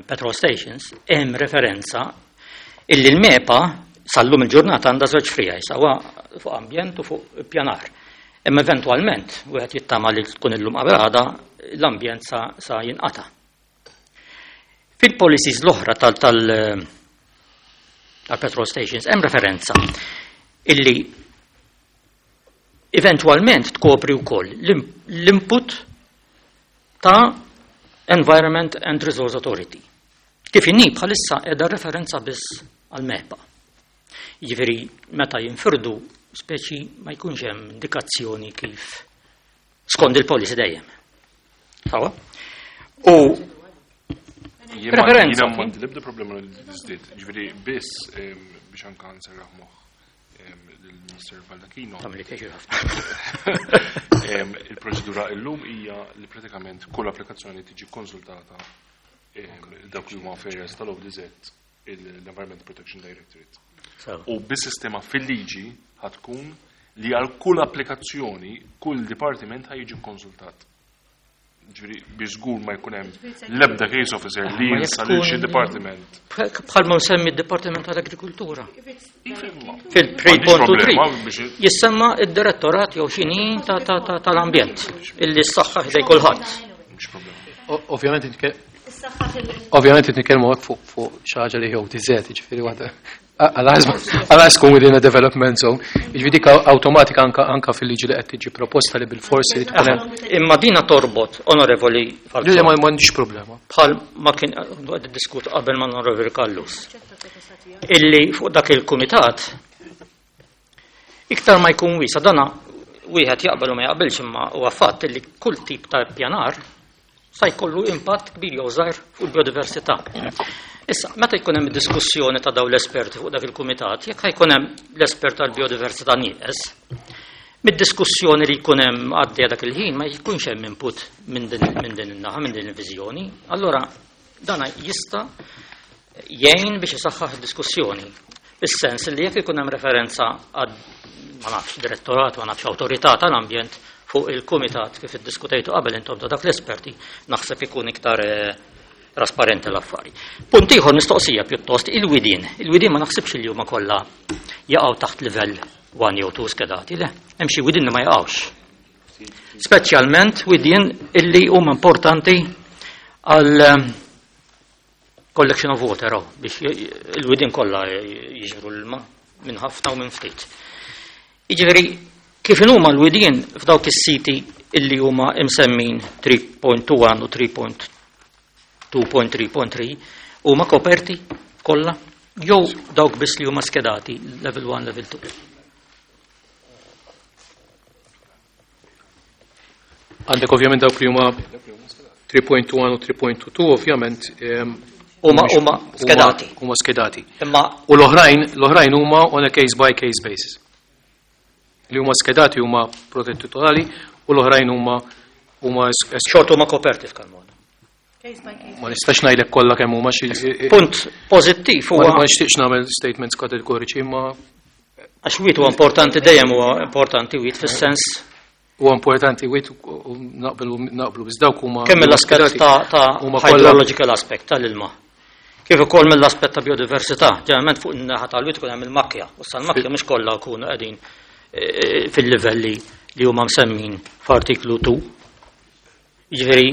petrol stations, hemm referenza illi l-MEPA sal-lum il-ġurnata għandha żewġ frijaj, sawa fuq ambjent u fuq pjanar. Imma eventwalment, wieħed jittama li tkun illum qabel għada, l-ambjent sa jinqata. Fil-policies l-oħra tal-petrol stations, hemm referenza illi eventwalment tkopri wkoll l-input ta' Environment and Resource Authority. Kif inhi bħalissa qiegħda referenza biss għal MEPA. Jiġifieri meta jinfirdu speċi ma jkunx hemm indikazzjoni kif skont il-policy dejjem. Sawa? U preferenza. Jiena m'għandi l-ebda problema li żdied, ġifieri biss biex anka nserraħ moħħ lill-Minister Baldacchino. Tagħmel pjaċir ħafna. Il-proċedura illum hija li pratikament kull applikazzjoni tiġi konsultata dawk li huma affarijiet tal-ODZ l-Environment Protection Directorate. U bis-sistema fil-liġi ħatkun li għal kull applikazzjoni, kull dipartiment ħa jiġi konsultat. Ġifieri, biex żgur ma jkun hemm l-ebda case officer li Ma jekk jinsa lil xi tkun- dipartiment. Bħal ma msemmi d-Dipartiment tal-Agrikultura. M'għandix Fil-3.23 problema biex jissemma id-direttorat jew xini tal-ambjent illi s-saħħa ħdej kulħadd. Mhux problema. Ovvjament nitkellmu hekk fuq xi ħaġa li jew tiżed, jiġifieri waħda. Għal tkun within a development zone. Jiġifieri dik awtomatika anka fil-liġi li qed tiġi proposta li bil-forsi li tkun hemm. Imma dina torbot, onorevoli Falzon. Le, ma m'għandix problema. Bħal ma kien qed diskut qabel ma' onorevoli Callus. Illi fuq dak il-kumitat iktar ma jkun wiesa dana wieħed jaqbel u ma jaqbilx imma huwa fatt illi kull tip ta' pjanar sa jkollu impatt kbir jew żgħir fuq il-biodiversità. Issa, meta jkun hemm diskussjoni ta' dawn l-esperti fuq dak il-kumitat, jekk jkun hemm l-espert tal-biodiversità nieqes, mid-diskussjoni li jkun hemm għaddejja dak il-ħin ma jkunx hemm input minn din minn din in-naħa, minn din il-viżjoni, allura dana jista' jgħin biex isaħħaħ id-diskussjoni. Is-sens li jekk ikun hemm referenza għad ma nafx direttorat, ma nafx awtorità tal-ambjent fuq il-kumitat kif iddiskutejtu qabel intom ta' dak l-esperti, naħseb ikun iktar trasparenti l-affari. Punt ieħor mistoqsija pjuttost il-widien. Il-widien ma naħsibx li huma kollha jaqgħu taħt livell 1 jew 2 skedati, le, hemm xi widien li ma jaqgħux. Speċjalment widien illi huma importanti għal collection of water, oh, biex il-widien kollha jiġbru l-ilma minn ħafna u minn ftit. Jiġifieri, kif huma l-widien f'dawk is-siti illi huma imsemmin 3.1 u 3.2.3.3 huma koperti kollha jew dawk biss li huma skedati level 1, level 2. Għandek ovvjament dawk li huma 3.1 u 3.2 ovvjament Huma skedati. Huma skedati. Imma U l-oħrajn huma on a case by case basis. Li huma skedati huma protetti totali u l-oħrajn huma xort huma koperti f'Kalmona. Ma nistax ngħidlek kollha kemm huma xi Punt pożittiv huwa Ma nixtieqx nagħmel statements kategoriċi imma għax wied huwa importanti dejjem huwa importanti wied fis-sens huwa importanti wied u naqblu biss dawk huma kemm mill-aspett ta' huma kollha hydrological aspect tal-ilma. Kif ukoll mill-aspett ta' biodiversità, ġeneralment fuq in-naħa tal-wied ikun hemm il-makkja, u sa l-makkja mhux kollha jkunu qegħdin fil-livelli li huma msemmin f'artiklu 2. Jiġifieri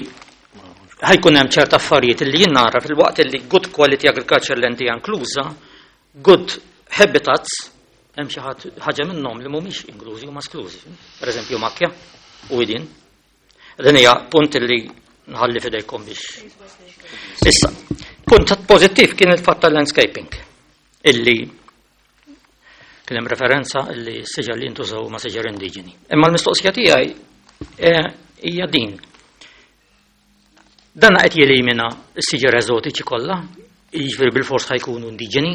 ħajkun hemm ċerta affarijiet li jien nara fil-waqt li good quality agriculture land hija inkluża, good habitats, hemm xi ħaġa minnhom li mhumiex inklużi huma esklużi. Pereżempju makkja u widien. Din hija punt li nħalli fidejkom biex. Issa, punt pożittiv kien il-fatt tal-landscaping illi kien hemm referenza illi s-siġar li jintużaw ma' siġar indiġeni. Imma l-mistoqsija tiegħi hija din. Dan qed jelimina s-siġar eżotiċi kollha, jiġifieri bil-fors ħajkunu indiġeni.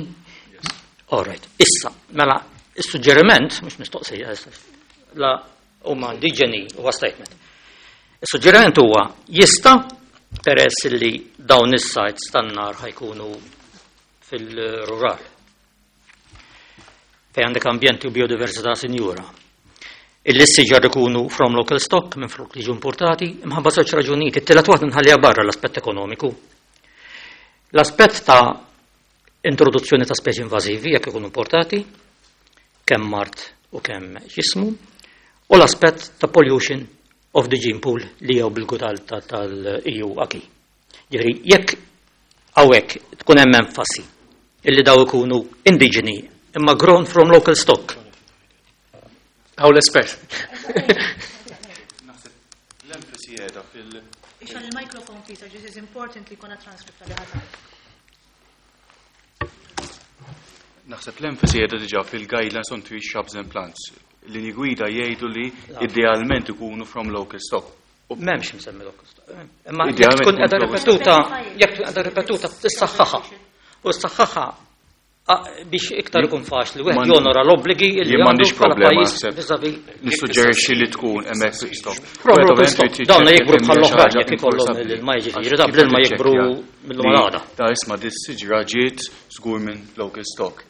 All right. Issa, mela, is-suġġeriment, mhux mistoqsija, la huma indiġeni huwa statement. Is-suġġeriment huwa jista' peress li dawn is-sites tan-nar ħajkunu fil-rural. Fej għandek ambjenti u biodiversità sinjura. Illi s-siġar ikunu from local stock minn flok li ġu importati, imħabba żewġ raġunijiet. It-tielet waħda nħalliha barra l-aspett ekonomiku. L-aspett ta' introduzzjoni ta' speċi invażivi jekk ikunu importati, kemm mart u kemm x'ismu, u l-aspett ta' pollution of the gene pool li jew bil tal-EU acquis. Ġifieri, jekk hawnhekk tkun hemm enfasi illi daw ikunu indiġeni imma grown from local stock. Hawn l-espert. Naħseb l-enfasi qiegħda fil- Ixgħel il-microphone please, this is important li jkollna transcript tal ħadd. Naħseb l-enfasi qiegħda diġà fil-guidelines on trees, shrubs and plants. Linji gwida jgħidu li idealment ikunu from local stock. M'hemmx msemmi local stock. Imma jekk tkun qiegħda ripetuta, jekk tkun qiegħda ripetuta tissaħħaħha. U s-saħħaħha biex iktar ikun faċli wieħed jonora l-obbligi li Jien m'għandix għandu bħala problema pajjiż naħseb. vis-à-vis Nissuġġerixxi li tkun hemmhekk stop. From local stock. Dawn jikbru bħall-oħrajn jekk ikollhom l-ilma jiġifieri, da bl-ilma jikbru mill-lum għal għada. Da isma' dis siġra ġiet żgur minn local stock.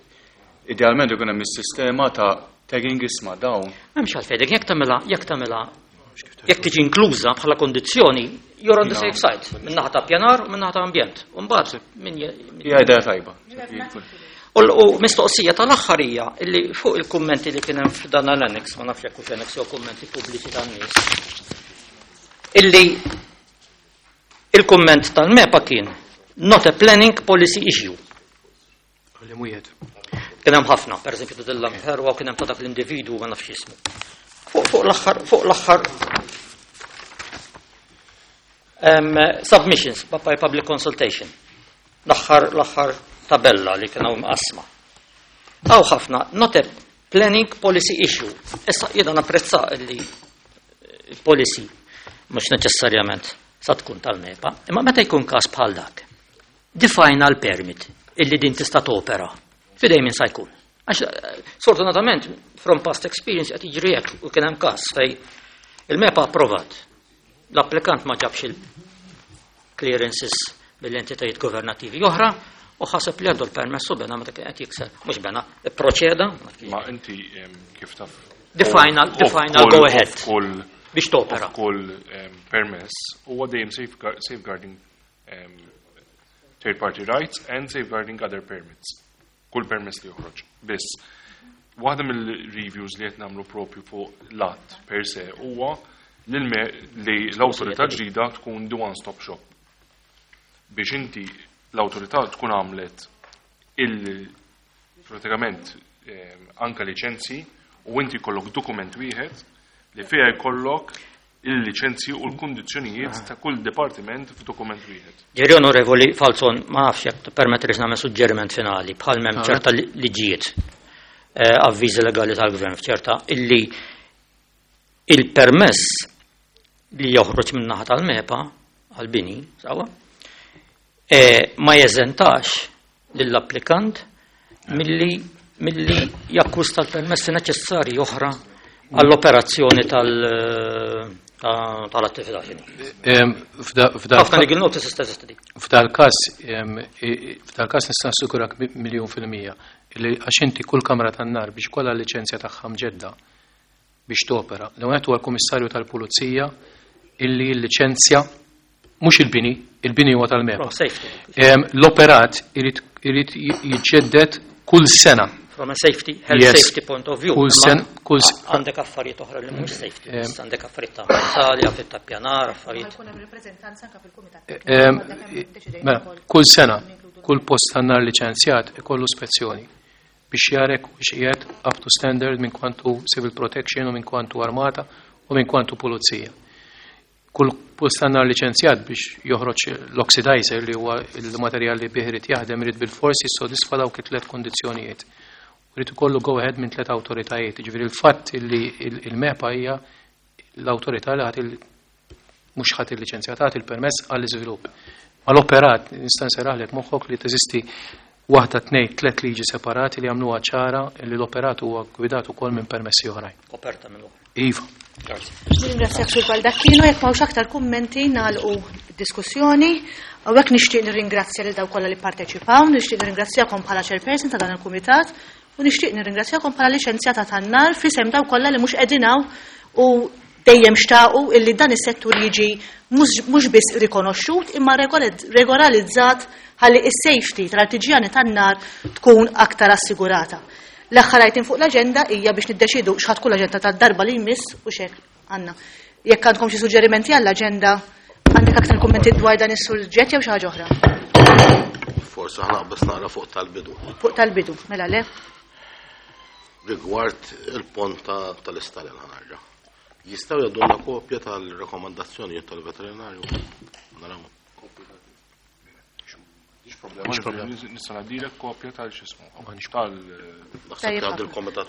Idealment ikun hemm is-sistema ta' tagging isma' dawn. M'hemmx għalfejn, jekk tagħmilha, jekk tagħmilha jekk tiġi inkluża bħala kondizzjoni, you're on the safe side, min-naħa ta' pjanar u min-naħa ta' ambjent. U mbagħad min Hija idea tajba. U mistoqsija tal-aħħar hija illi fuq il-kummenti li kien hemm f'dan l-annex, ma nafx jekk hux annex jew kummenti pubbliċi tan-nies, illi il-kumment tal-MEPA kien not a planning policy issue. Li mwiet. Kien hemm ħafna, pereżempju ta' Dilla Mferwa u kien hemm ta' dak l-individwu ma nafx ismu. Fuq fuq l-aħħar fuq l-aħħar submissions by public consultation. L-aħħar l-aħħar tabella li kien hawn mqassma. Hawn ħafna not a planning policy issue. Issa jiena napprezza li il-policy mhux neċessarjament sa tkun tal-MEPA, imma meta jkun każ bħal dak, the final permit illi din tista' topera, fidej min sa jkun. Għax sfortunatament, from past experience qed jiġri hekk u kien hemm każ fej il-MEPA approvat. L-applikant ma ġabx il-clearances mill-entitajiet governattivi oħra u ħaseb li għandu l-permess u bena meta kien qed jikser, mhux bena, ipproċeda. Ma inti kif taf The final, the final go ahead. Biex topera. Kull permess huwa dejjem safeguarding third party rights and safeguarding other permits. Kull permess li joħroġ. Biss, waħda mill-reviews li qed nagħmlu propju fuq l-att per se huwa li l-awtorità ġdida tkun the one-stop shop. Biex inti l-awtorità tkun għamlet il pratikament anka liċenzji u inti jkollok dokument wieħed li fiha jkollok il-liċenzji u l-kundizzjonijiet ta' kull dipartiment f'dokument wieħed. Ġeri Onorevoli Falzon, ma nafx jekk permettix nagħmel suġġeriment finali bħal m'hemm ċerta liġijiet, avviżi legali tal-gvern f'ċerta illi il-permess li joħroġ min-naħa tal-MEPA għal-bini, sawa, ma jeżentax lill-applikant milli jakkwista l-permessi neċessarji oħra għall-operazzjoni tal-attività. Ħafna legal notices teżisti dik. F'dal-każ nista' nassigurak 1,000,000% li għax inti kull kamra tan-nar biex kollha l-liċenzja tagħha mġedda biex topera. L-ewwel huwa l-Kummissarju tal-Pulizija illi l-liċenzja mhux il-bini, il-bini huwa tal-MEPA. From safety. L-operat irid jiġġedded kull sena. From a safety, health safety point of view. Kull Imma sen, kull għandek affarijiet oħra li mhux safety, biss għandek affarijiet ta' ambjentali, affarijiet ta' pjanar, affarijiet. Jkun hemm rappreżentanza anke fil-kumitat. Mela, kull sena, kull post tan-nar liċenzjat ikollu spezzjoni biex jarek u qiegħed up to standard minn kwantu civil protection u minn kwantu armata u minn kwantu pulizija. Kull post tan-nar liċenzjat biex joħroġ l-oxidizer li huwa il-materjal li bih irid jaħdem irid bil-forsi jissodisfa dawk it-tliet kondizzjonijiet. Irid ikollu go ahead minn tliet awtoritajiet. Jiġifieri il-fatt li il-MEPA hija l-awtorità li ħadd mhux ħadd il-liċenzja tagħti il-permess għall-iżvilupp. Ma l-operat nista' nserraħlek moħħok li teżisti waħda, tnejn, tliet liġi separati li jagħmluha ċara li l-operat huwa gwidat ukoll minn permessi oħrajn. Koperta minn oħra. Iva. Grazie. Ringrazzjak Sur Baldacchino, jekk m'hawnx aktar kummenti nagħlqu diskussjoni. Hawnhekk nixtieq nirringrazzja lil dawk kollha li pparteċipaw, nixtieq nirringrazzjakom bħala chairperson ta' dan il-kumitat u nixtieq nirringrazzjakom bħala liċenzjata tan-nar f'isem dawk kollha li mhux qegħdin hawn u dejjem xtaqu illi dan is-settur jiġi mhux biss rikonoxxut imma regolarizzat ħalli is-safety tal-artiġjani tan-nar tkun aktar assigurata. L-aħħar item fuq l-aġenda hija biex niddeċidu x'ħa tkun l-aġenda tad-darba li jmiss u x'hekk għandna. Jekk għandkom xi suġġerimenti għall-aġenda, għandek aktar kummenti dwar dan is-suġġett jew xi ħaġa oħra? Forsi ħa naqbeż naqra fuq tal-bidu. Fuq tal-bidu, mela le? Rigward il-pont tal-istalel ħa nerġa'. Jistgħu jgħaddulna kopja tal-rekomandazzjonijiet tal-veterinarju? Naraw. Mhix problema. Nista' ngħaddilek kopja tal-x'ismu. Tal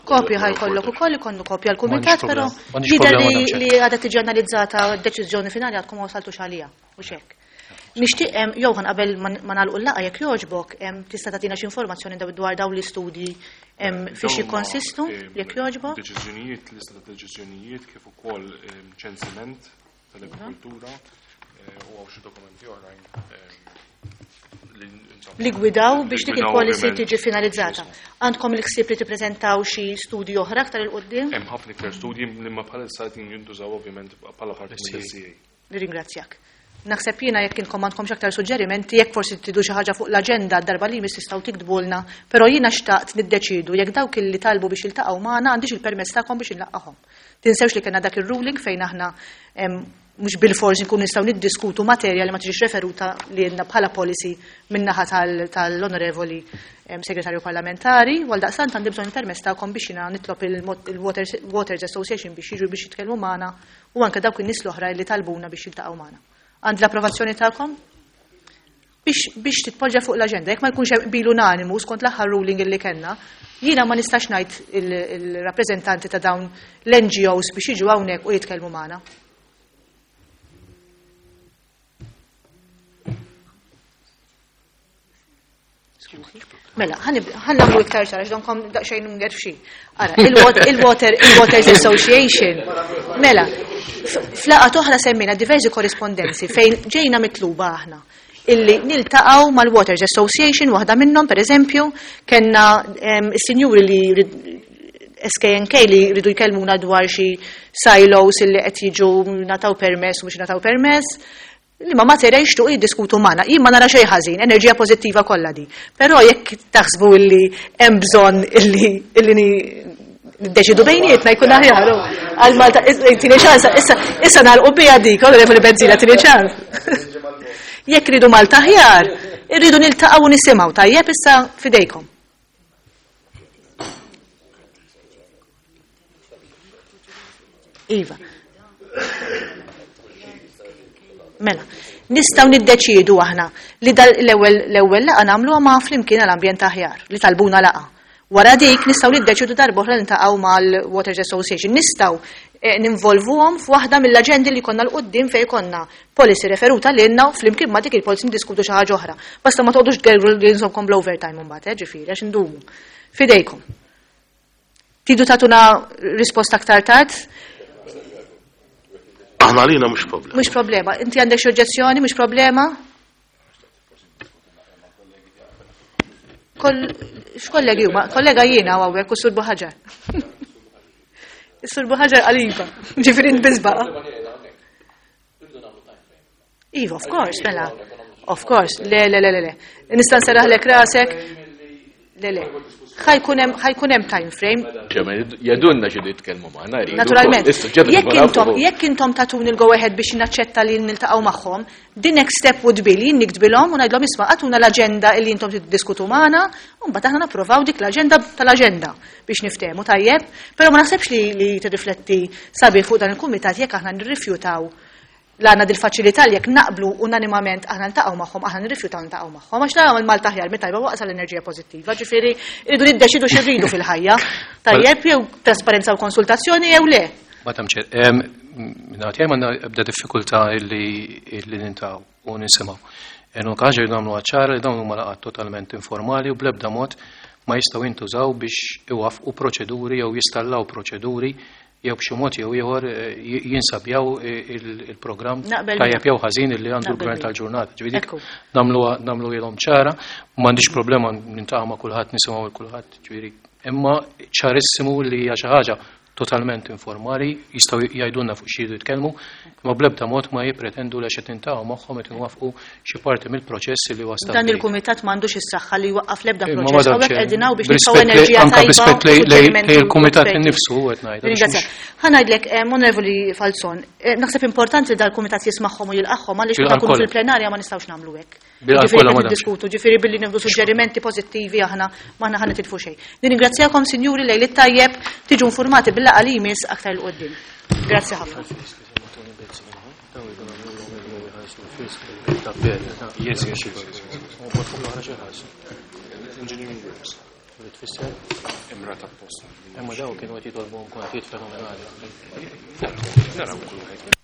Kopja ħajkollok ukoll ikollu kopja l-kumitat, però jidher li għadha tiġi analizzata d-deċiżjoni finali għadkom ma wasaltux għaliha, mhux hekk. Nixtieq Johan qabel ma nagħlqu l-laqgħa jekk jogħġbok tista' tagħtina xi informazzjoni dwar dawn l-istudji fiex jikkonsistu jekk jogħġbok. Deċiżjonijiet, lista ta' deċiżjonijiet kif ukoll ċensiment tal-agrikoltura u hawn xi dokumenti oħrajn li gwidaw biex dik il-policy tiġi finalizzata. Għandkom il-ħsieb li tippreżentaw xi studji oħra aktar 'il quddiem? Hemm ħafna iktar studji li ma bħalissa qed jintużaw ovvjament bħala parti mill-SCA. Nirringrazzjak. Naħseb jiena jekk inkom għandkomx aktar suġġerimenti, jekk forsi tridu xi ħaġa fuq l-aġenda d-darba li jmiss tistgħu tiktbulna, però jiena xtaqt niddeċiedu jekk dawk illi talbu biex jiltaqgħu magħna għandix il-permess tagħkom biex inlaqqahom. Tinsewx li kellna dak ir-ruling fejn aħna mhux bilfors inkunu nistgħu niddiskutu materja li ma tiġix referuta lilna bħala policy min-naħa tal-Onorevoli Segretarju Parlamentari, u għaldaqstant għandi bżonn il-permess tagħkom biex jiena nitlob il-Waters Association biex jiġu biex jitkellmu magħna u anke dawk in-nies l-oħra li talbuna biex jiltaqgħu magħna. Għandi l-approvazzjoni tagħkom? Biex titpoġġa fuq l-aġenda, jekk ma jkunx hemm qbil unanimu skont l-aħħar ruling illi kellna, jiena ma nistax ngħid il-rappreżentanti ta' dawn l-NGOs biex jiġu hawnhekk u jitkellmu magħna. Mela, ħa nagħmlu iktar ċara, x'donkom daqsxejn mgerfxin. Ara, il-Waters Association. Mela, f'laqgħa oħra semmejna diversi korrispondenzi fejn ġejna mitluba aħna illi niltaqgħu mal-Waters Association, waħda minnhom pereżempju, kellna is-sinjuri li SKNK li rridu jkellmuna dwar xi silos illi qed jiġu nataw permess u mhux nataw permess, li ma materja jixtuq jiddiskutu magħna. Jien ma nara xejn ħażin, enerġija pożittiva kollha di. Però jekk taħsbu illi hemm bżonn illi illi niddeċidu bejnietna jkun aħjar. Għal Malta, tini ċans, issa issa nagħlqu biha dik, onorevoli Bezzina, tini ċans. Jekk ridu Malta aħjar, irridu niltaqgħu u nisimgħu tajjeb issa fidejkom. Iva. Mela, nistgħu niddeċiedu aħna li l-ewwel l-ewwel laqgħa nagħmluha ma' flimkien għal ambjent aħjar li talbuna laqgħa. Wara dik nistgħu niddeċiedu darb'oħra niltaqgħu mal-Waters Association. Nistgħu eh, ninvolvuhom f'waħda mill-aġendi li konna 'l quddiem fejn konna policy referuta lilna u flimkien ma' dik il-policy niddiskutu xi ħaġa oħra. Basta ma toqgħodux tgergru li nżommkom bl-overtime imbagħad, eh, ġifieri għax indumu. Fidejkom. Tridu tagħtuna risposta aktar tard? Aħna għalina mhux problema. Mhux problema. Inti għandek xi oġġezzjoni, mhux problema? X'kollegi huma? Kollega jiena hawnhekk u Sur Buħaġar. Is-Sur Buħaġar qal iva, ġifieri nbiżbaqa. Iva, of course, mela. Of course, le, le, le, le, le. Nista' nseraħlek rasek. Le, le. Ħa jkun hemm time frame. Jgħidulna xi jitkellmu magħna. Naturalment. Jekk intom jekk intom tatuni l-go ahead biex naċċetta li niltaqgħu magħhom, the next step would be li jien niktbilhom u ngħidlhom isma' agħtuna l-aġenda li intom tiddiskutu magħna, u mbagħad aħna napprovaw dik l-aġenda tal-aġenda biex niftehmu tajjeb, però ma naħsebx li li tirrifletti sabiħ fuq dan il-kumitat jekk aħna nirrifjutaw l għandna dil-faċilità li jekk naqblu unanimament aħna niltaqgħu magħhom, aħna nirrifjutaw niltaqgħu magħhom, għax naraw il-Malta aħjar mit-tajba waqsa l-enerġija pożittiva, ġifieri rridu niddeċidu x'irridu fil-ħajja. Tajjeb jew trasparenza u konsultazzjoni jew le. Madam Chair, nagħti għandna ebda diffikultà illi niltaqgħu u nisimgħu. Enu ħaġa li nagħmlu ċara li dawn huma laqgħat totalment informali u bl-ebda mod ma jistgħu jintużaw biex iwafqu proċeduri jew jistallaw proċeduri jew b'xi mod jew ieħor jinsabjaw il-programm tajjeb jew ħażin li għandu l-gvern tal-ġurnata. Ġifieri nagħmlu nagħmlu ilhom ċara, m'għandix problema niltaqa' ma' kulħadd nisimgħu lil kulħadd, ġifieri imma ċarissimu li hija xi ħaġa totalment informali, jistgħu jgħidulna fuq xi jridu jitkellmu, imma bl-ebda mod ma jippretendu li għax qed niltaqgħu magħhom qed inwaffqu xi parti mill-proċess li huwa Dan stabbilit. il-kumitat m'għandux is-saħħa li jwaqqaf l-ebda Imma proċess. Madam Hawnhekk Chair, qegħdin hawn biex nitfgħu b'rispett lej- enerġija anka tajba b'rispett u lej lej suġġerimenti lej il-kumitat u esperti. innifsu qed ngħid. għax Ringrazzjak. mhux- Ħa ngħidlek, Onorevoli Falzon, naħseb importanti li dal-kumitat jismagħhom u jilqagħhom għaliex meta Bil-qalb nkunu kollha. fil-plenarja ma nistgħux nagħmlu hekk. Bil-qalb Ġifieri kollha, qed Madam Chair. niddiskutu, ġifieri billi nieħdu suġġerimenti pożittivi aħna m'aħna ħa nitilfu xejn. Nirringrazzjakom sinjuri lejl it-tajjeb, tiġu informati bil-laqgħa li jmiss aktar 'il quddiem. Grazzi ħafna. Yes. Engineering works. Tfisser? Imrata apposta. Imma daw kienu qed jitolbu kontijiet fenomenali. Naraw kull wieħed.